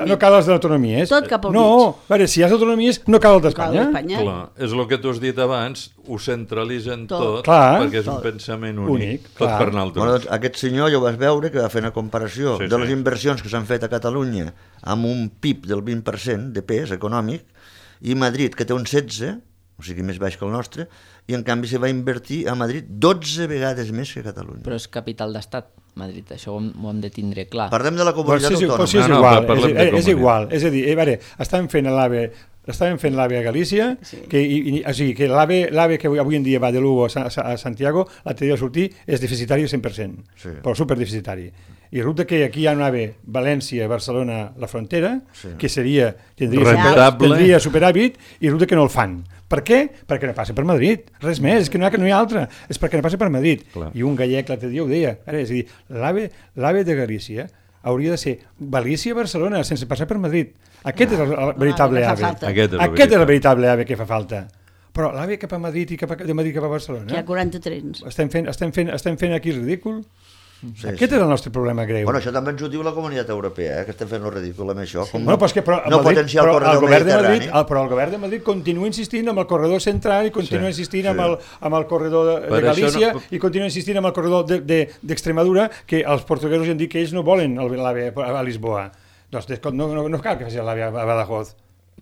l'autonomia. Tot cap al mig. No, a veure, si hi ha les autonomies, no cal el d'Espanya. Clar, és el que tu has dit abans, ho centralitzen tot, perquè és un pensament únic. Tot per nosaltres. Bueno, doncs, aquest senyor ja ho vas veure, que va fer una comparació de les inversions que s'han fet a Catalunya amb un PIB del 20% de pes econòmic, i Madrid, que té un 16%, o sigui més baix que el nostre, i en canvi se va invertir a Madrid 12 vegades més que a Catalunya. Però és capital d'estat, Madrid, això ho hem de tindre clar. Parlem de la comunitat autònoma. És igual, és a dir, estàvem fent l'AVE a Galícia, que l'AVE que avui en dia va de Lugo a Santiago, l'altre dia sortir és deficitari 100%, però superdeficitari. I resulta que aquí hi ha un AVE València-Barcelona la frontera, que tindria superàvit, i resulta que no el fan. Per què? Perquè no passa per Madrid. Res més, és que no hi ha altra. És perquè no passa per Madrid. Clar. I un gallec l'altre dia ho deia. És a dir, l'AVE de Galícia hauria de ser València-Barcelona sense passar per Madrid. Aquest és el veritable AVE. Aquest és el veritable AVE que fa falta. Però l'AVE cap a Madrid i de Madrid cap a Barcelona... Hi ha 40 trens. Estem fent aquí el ridícul? Aquest és el nostre problema greu. Bueno, això també ens ho diu la Comunitat Europea, que estem fent el ridícul amb això. Però el govern de Madrid continua insistint amb el corredor central i continua insistint amb el corredor de Galícia i continua insistint amb el corredor d'Extremadura, que els portuguesos han dit que ells no volen l'AVE a Lisboa. Doncs no cal que faci l'AVE a Badajoz.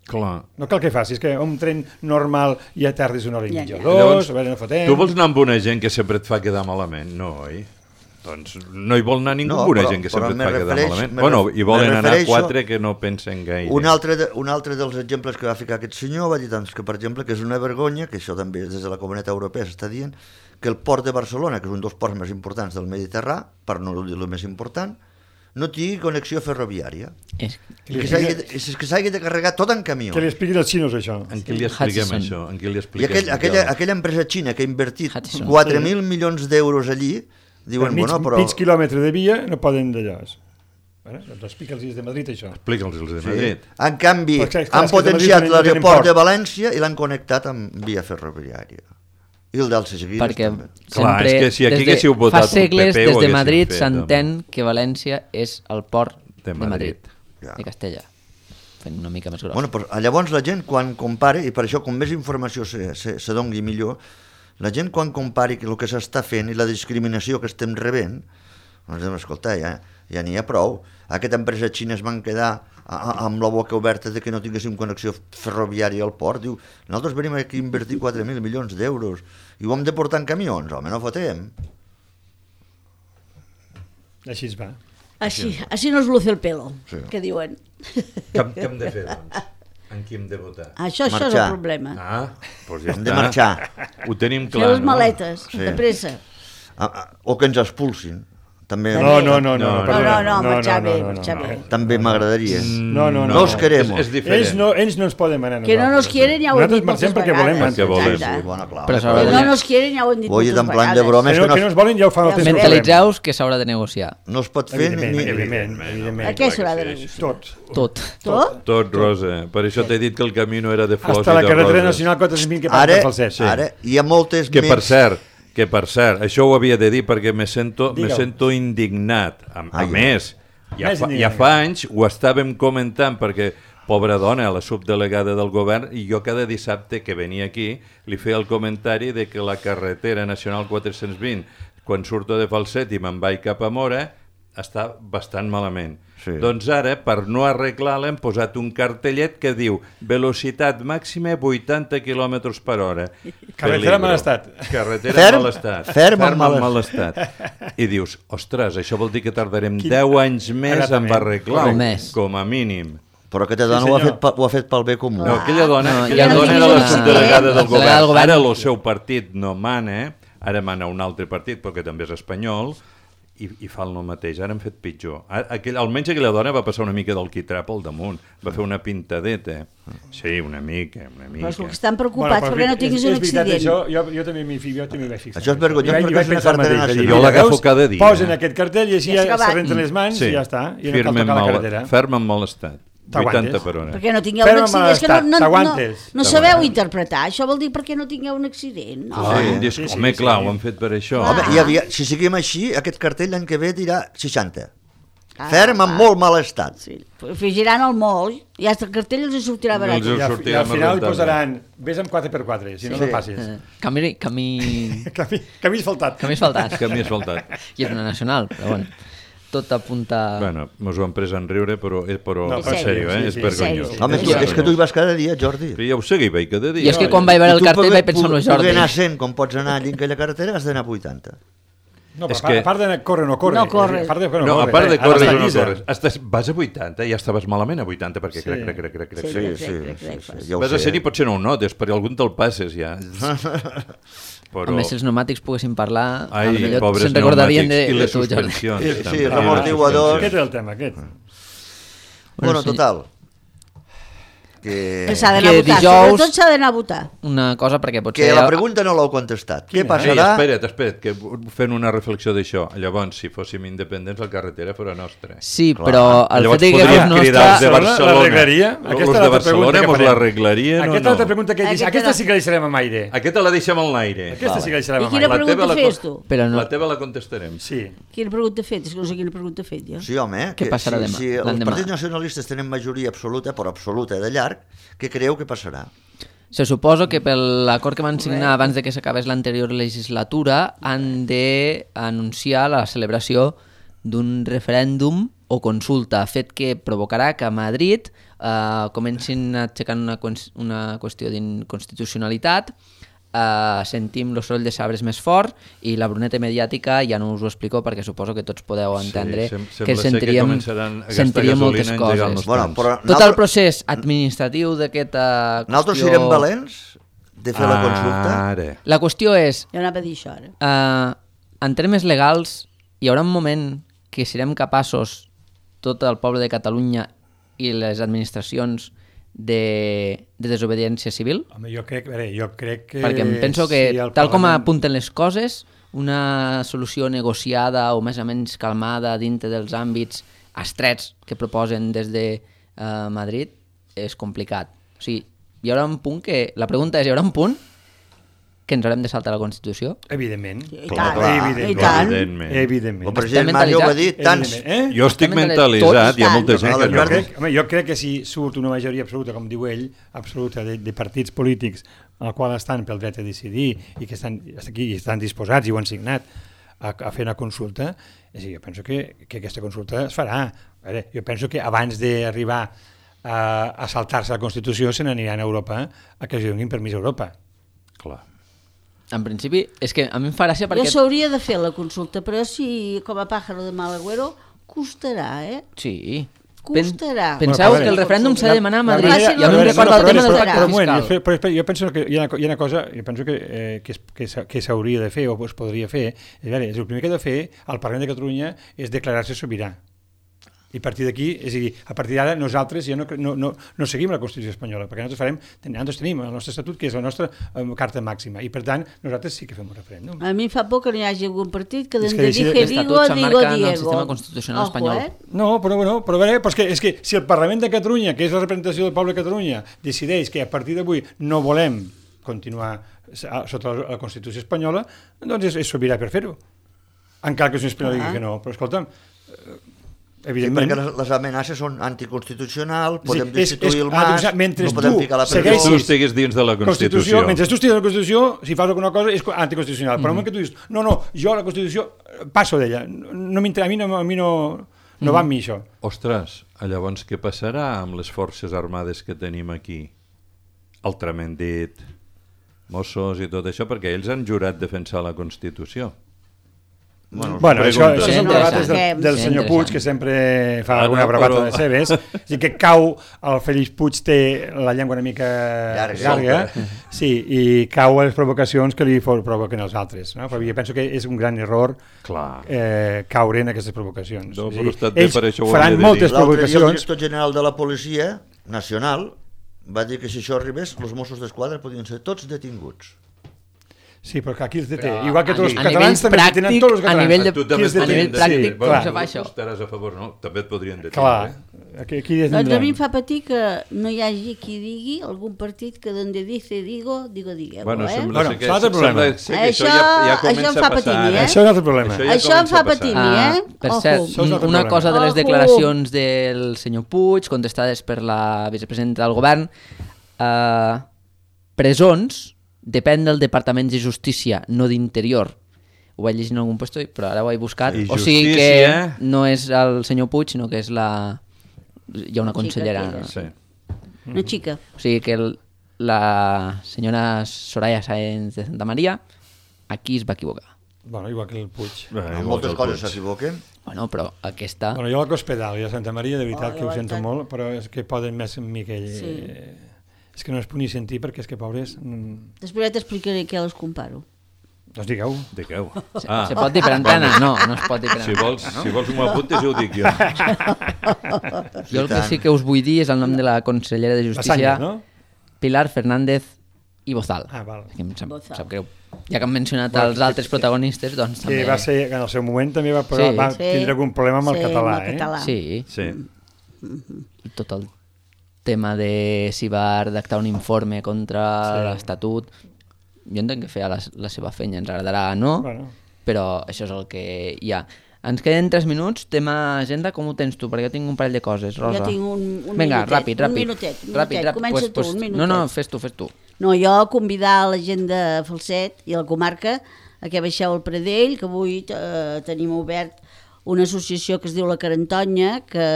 Clar. No cal que facis, que un tren normal ja tardes una hora i mitja o dos, no fotem... Tu vols anar amb una gent que sempre et fa quedar malament? No, oi? Doncs no hi vol anar ningú amb una gent que sempre et fa quedar malament. Bueno, hi volen anar 4 que no pensen gaire. Un altre dels exemples que va ficar aquest senyor va dir doncs, que, per exemple, que és una vergonya, que això també des de la Comunitat Europea s'està dient, que el port de Barcelona, que és un dels ports més importants del Mediterrà, per no dir el més important, no tingui connexió ferroviària. És que s'hagi de carregar tot en camió. Que li expliquin els xinos, això. En qui li expliquem això? I aquella empresa xina que ha invertit 4.000 milions d'euros allí, diuen, mig quilòmetre de via no poden d'allò. Doncs explica'ls de Madrid, això. Explica'ls de Madrid. En canvi, han potenciat l'aeroport de València i l'han connectat amb via ferroviària. I el dels seguits també. Clar, és que si aquí haguéssiu votat fa segles, des de Madrid s'entén que València és el port de Madrid, de Castella. Fent una mica més gros. Bueno, però llavors la gent, quan compara, i per això com més informació se doni millor, la gent quan compari el que s'està fent i la discriminació que estem rebent, doncs escolta, ja n'hi ha prou. Aquesta empresa xina es van quedar amb la boca oberta de que no tinguéssim connexió ferroviària al port. Diu, nosaltres venim aquí a invertir 4.000 milions d'euros i ho hem de portar en camions. Home, no fotem. Així es va. Així no es luce el pelo, que diuen. Què hem de fer, doncs? En qui hem de votar? Això és el problema. Doncs ja hem de marxar. Ho tenim clar, fer les maletes, de pressa. O que ens expulsin. També... No, marxar bé. També m'agradaria. No els querem. Ells no ens poden manar. Que no nos quieren ja ho hem dit moltes vegades. Que no nos quieren ja ho hem dit moltes vegades. Que no ens volen ja ho fan el temps. Mentalitzaus que s'haurà de negociar. No es pot fer ni... A què s'haurà de negociar? Tot, Rosa. Per això t'he dit que el camí no era de flors i de roses. Hasta la carretera nacional 420 que passa pel CES. Ara hi ha moltes més... Que per cert, això ho havia de dir perquè me sento indignat. A més, ja fa anys ho estàvem comentant perquè, pobra dona, la subdelegada del govern, i jo cada dissabte que venia aquí li feia el comentari de que la carretera nacional 420, quan surto de Falset i me'n vaig cap a Mora, està bastant malament. Doncs ara, per no arreglar-la, hem posat un cartellet que diu velocitat màxima 80 km per hora. Carretera en mal estat. Carretera en mal estat. Ferm en mal estat. I dius, ostres, això vol dir que tardarem 10 anys més en arreglar-ho, com a mínim. Però aquesta dona ho ha fet pel bé comú. No, aquella dona No, era la subdelegada del govern. govern. Ara el seu partit no mana, ara mana un altre partit, perquè també és espanyol, i fa el mateix. Ara han fet pitjor. Almenys aquella dona va passar una mica del quitrà pel damunt. Va fer una pintadeta. Sí, una mica. Però és que estan preocupats perquè no tinguis un accident. Això, jo també m'hi vaig fixar. Això és vergonyós perquè és una pensar cartera mateix. nacional. Jo l'agafo cada dia. Posen aquest cartell i així Ja s'ha ja acabat. se renten les mans i ja està. I no cal tocar la carretera. Ferm en mal estat. 80 per hora. Perquè no tingueu Ferm un en mal accident. És que estat, t'aguantes. no sabeu interpretar. Això vol dir perquè no tingueu un accident. No. Home, clar, ho han fet per això. Home, si seguim així, aquest cartell l'any que ve dirà 60. Ferm en molt mal estat. Sí. Afegiran el molt i hasta el cartell els sortirà barat. Els I al sortirà final hi rentable. posaran vés amb 4x4, si no, no passis. Camí Camí asfaltat. asfaltat. Camí asfaltat. I és una nacional, però bueno. Tot apunta... Bueno, mos ho han pres en riure, però No, en sèrio, sí, és sí, vergonyós. sí. Home, és que tu hi vas cada dia, Jordi. Sí, ja ho sé que hi vaig cada dia. I és que quan vaig veure el cartell vaig pensar en el Jordi. Poder anar 100 com pots anar allí en aquella carretera, has d'anar 80. No, És però que- a part de córrer no corre. No corre. A part de No, a part de Ara córrer, està no llisa. corres. Vas a 80, ja estaves malament a 80, perquè Sí. crec. Sí, ja ho Vas a sé. ser-hi potser no ho notes, perquè algun te'l passes ja. Però... A més, si els pneumàtics poguessin parlar, Ai, potser pobres se'n recordarien pneumàtics. I de les tu, Jordi. suspensions. Sí, també. els amortiguadors. Aquest és el tema, aquest. Bueno, sí. total. Que S'ha d'anar a Que votar. dijous- Sobretot s'ha d'anar a votar. Una cosa, perquè potser... la pregunta no l'heu contestat. Què Sí, passarà? espera't, que fent una reflexió d'això. Llavors, si fóssim independents, la carretera fora nostra. Sí, però el Llavors fet que podríem fos cridar els de nostre... Barcelona. L'arreglaria? Els Aquesta és de l'altra Barcelona pregunta que mos farem. l'arreglarien o Aquesta no? altra pregunta que dius, aquesta sí que la deixarem amb aire. Aquesta la deixem en l'aire. Aquesta sí que la deixarem I amb quina aire. pregunta fes tu? Però no. La teva la contestarem. Sí. Quina pregunta he fet? És que no sé quina pregunta he fet jo. Sí, home, Què passarà demà, si els l'endemà? partits nacionalistes tenen majoria absoluta, però absoluta de llarg, què creieu que passarà? Se suposa que per l'acord que van signar abans de que s'acabés l'anterior legislatura han d'anunciar la celebració d'un referèndum o consulta, fet que provocarà que a Madrid comencin aixecant una qüestió d'inconstitucionalitat, sentim el soroll de sabres més fort i la bruneta mediàtica ja no us ho explico perquè suposo que tots podeu entendre que sentiríem moltes coses. Bueno, però Tot el procés administratiu d'aquesta qüestió... nosaltres serem valents de fer la consulta? Ara. La qüestió és, Jo anava a dir això ara. en termes legals, hi haurà un moment que serem capaços, tot el poble de Catalunya i les administracions, de desobediència civil? Home, jo crec que... Perquè em penso que, si el tal com Parlament- apunten les coses, una solució negociada o més o menys calmada dintre dels àmbits estrets que proposen des de Madrid és complicat. O sigui, hi haurà un punt que... La pregunta és, hi haurà un punt que ens haurem de saltar la Constitució? Evidentment. I Clar, tant, clar. i tant. El president Mas ho va dir, tants... Evidentment, Jo estic mentalitzat. mentalitzat, hi ha molta Tots gent que estan. no. Jo crec que si surt una majoria absoluta, com diu ell, absoluta de partits polítics al qual estan pel dret a decidir i que estan aquí i estan disposats i ho han signat a fer una consulta, és a dir, jo penso que aquesta consulta es farà. A veure, jo penso que abans d'arribar a saltar-se la Constitució se n'aniran a Europa a que els donin permís a Europa. Clar. En principi, és que a mi em fa gràcia perquè... Jo s'hauria de fer la consulta, però si com a pájaro de mal agüero costarà, Sí. Costarà. Penseu Bueno, que el referèndum s'ha de demanar a Madrid. manera- I a mi em no, recorda el tema del pacte fiscal. Però jo penso que hi ha una cosa, jo penso que s'hauria de fer o es podria fer. És a dir, el primer que ha de fer el Parlament de Catalunya és declarar-se sobirà. I a partir d'aquí, és a dir, a partir d'ara nosaltres ja no seguim la Constitució espanyola, perquè nosaltres tenim el nostre estatut, que és la nostra carta màxima, i per tant nosaltres sí que fem un referèndum. A mi em fa por que no hi hagi algun partit que És de que dije l'Estatut digo, s'emmarca en el Diego. sistema constitucional espanyol. No, però a veure, és que si el Parlament de Catalunya, que és la representació del poble de Catalunya, decideix que a partir d'avui no volem continuar sota la Constitució espanyola, doncs és sobirà per fer-ho. Encara que el senyor Espinal digui que no, però escolta'm, Sí, evidentment... perquè les amenaces són anticonstitucionals, podem és destituir el Mas, mentre no podem tu ficar la segueixis- Tu estiguis dins de la Constitució. Mentre tu estiguis a la Constitució, si fas alguna cosa és anticonstitucional, però el moment que tu dius no, jo la Constitució passo d'ella, a mi no va amb mi això. Ostres, llavors què passarà amb les forces armades que tenim aquí? Altrament dit, Mossos i tot això, perquè ells han jurat defensar la Constitució. Bueno, això és el debat del Sí, senyor Puig, que sempre fa alguna bravata de seves. És dir, que cau, el Félix Puig té la llengua una mica llarga, sí, i cau a les provocacions que li provoquen els altres. No? Però jo penso que és un gran error caure en aquestes provocacions. Ells faran moltes provocacions. L'altre dia el director general de la Policia Nacional va dir que si això arribés, els Mossos d'Esquadra podien ser tots detinguts. Sí, però aquí els deté. Igual que tots els catalans també detenen tots els catalans. A nivell pràctic, com se fa això? Estaràs a favor, no? També et podrien detenir. Clar. Doncs a mi em fa patir que no hi hagi qui digui algun partit que donde dice digueu. Bueno, sembla ser que això em fa patir, Això és un altre problema. Això em fa patir, Per cert, una cosa de les declaracions del senyor Puig, contestades per la vicepresidenta del govern, presons depèn del Departament de Justícia, no d'Interior. Ho vaig llegir en algun lloc, però ara ho he buscat. O sigui que no és el senyor Puig, sinó que és hi ha una consellera. Una xica. O sigui que la senyora Soraya Sáenz de Santa Maria aquí es va equivocar. Bueno, igual que el Puig. En moltes coses s'equivoquen. Bueno, però aquesta... Bueno, jo a l'Hospital i a Santa Maria, de veritat que ho sento molt, però és que poden més amb mi que ell... Sí. És que no es pugui sentir perquè és que, pobres... Després t'explicaré què les comparo. Doncs digueu. Se pot dir per antena? No es pot dir per antena. Si vols m'ho apuntes, jo ho dic jo. Jo el que sí que us vull dir és el nom de la consellera de Justícia, Pilar Fernández i Bozal. Val. Em sap greu. Ja que han mencionat els altres protagonistes, doncs també... Que va ser, en el seu moment també va tindre algun problema amb el català, Sí. Sí. Tot el tema de si va redactar un informe contra l'Estatut. Jo entenc que feia la seva feina, ens agradarà, no? Però això és el que hi ha. Ens queden 3 minuts, tema agenda, com ho tens tu? Perquè jo tinc un parell de coses, Rosa. Jo tinc un Vinga, minutet. ràpid. Un minutet. Comença tu, un minutet. No, fes tu. No, jo convidar la gent de Falset i la comarca a que baixeu al Pradell, que avui tenim obert una associació que es diu La Carantonya, que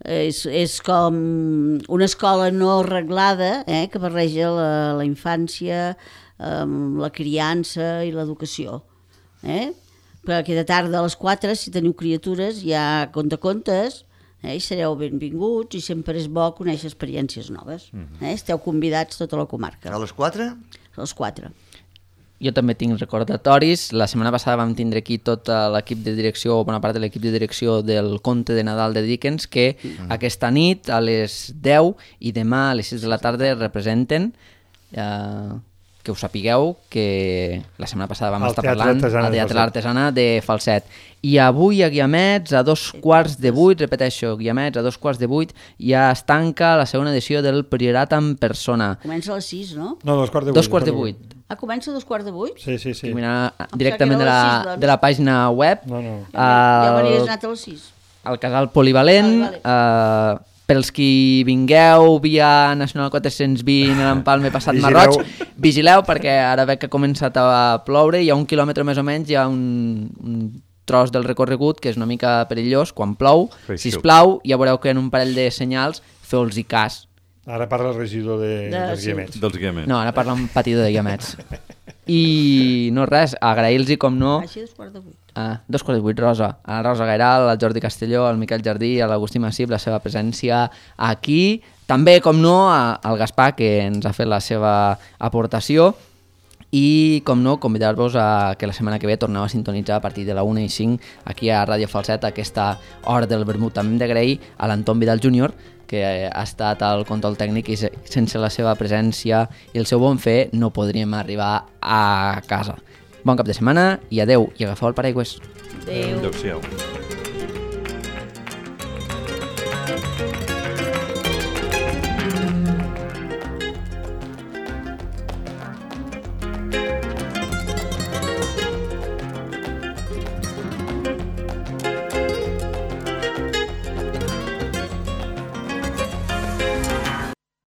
és com una escola no arreglada, que barreja la infància, la criança i l'educació. Però aquesta tarda a les 4, si teniu criatures, hi ha contacontes, i sereu benvinguts i sempre és bo conèixer experiències noves. Esteu convidats tota la comarca. A les 4? A les 4. Jo també tinc recordatoris. La setmana passada vam tindre aquí tot l'equip de direcció, o bona part de l'equip de direcció del Conte de Nadal de Dickens, que aquesta nit a les 10 i demà a les 6 de la tarda representen, que us sapigueu que la setmana passada vam estar parlant al Teatre L'Artesana de Falset. I avui a Guiamets, a 7:45, repeteixo, Guiamets, a 7:45, ja es tanca la segona edició del Priorat en persona. Comença a les 6, no? No, 7:45. Comença a 7:45? Sí. Mira, directament de la pàgina web. No. Ja m'hauries anat a les 6. Al casal polivalent, pels qui vingueu via Nacional 420 a l'Empalme passat Marroig, vigileu perquè ara veig que ha començat a ploure, hi ha 1 quilòmetre més o menys, hi ha un tros del recorregut que és una mica perillós quan plou. Sisplau, ja veureu que en un parell de senyals feu-los-hi cas. Ara parla el regidor dels Guiamets. No, ara parla un patidor de Guiamets. I no res, agrair-los com no... Així 7:45. 2:08, Rosa. A la Rosa Gairal, al Jordi Castelló, al Miquel Jardí, a l'Agustí Massip, la seva presència aquí. També, com no, al Gaspar, que ens ha fet la seva aportació. I, com no, convidar-vos a que la setmana que ve torneu a sintonitzar a partir de la 1:05 aquí a Ràdio Falset, a aquesta hora del vermut. També hem d'agrair a l'Anton Vidal Júnior, que ha estat al control tècnic i sense la seva presència i el seu bon fer no podríem arribar a casa. Bon cap de setmana i adeu, i agafeu el paraigües. Adeu. Adéu-siau.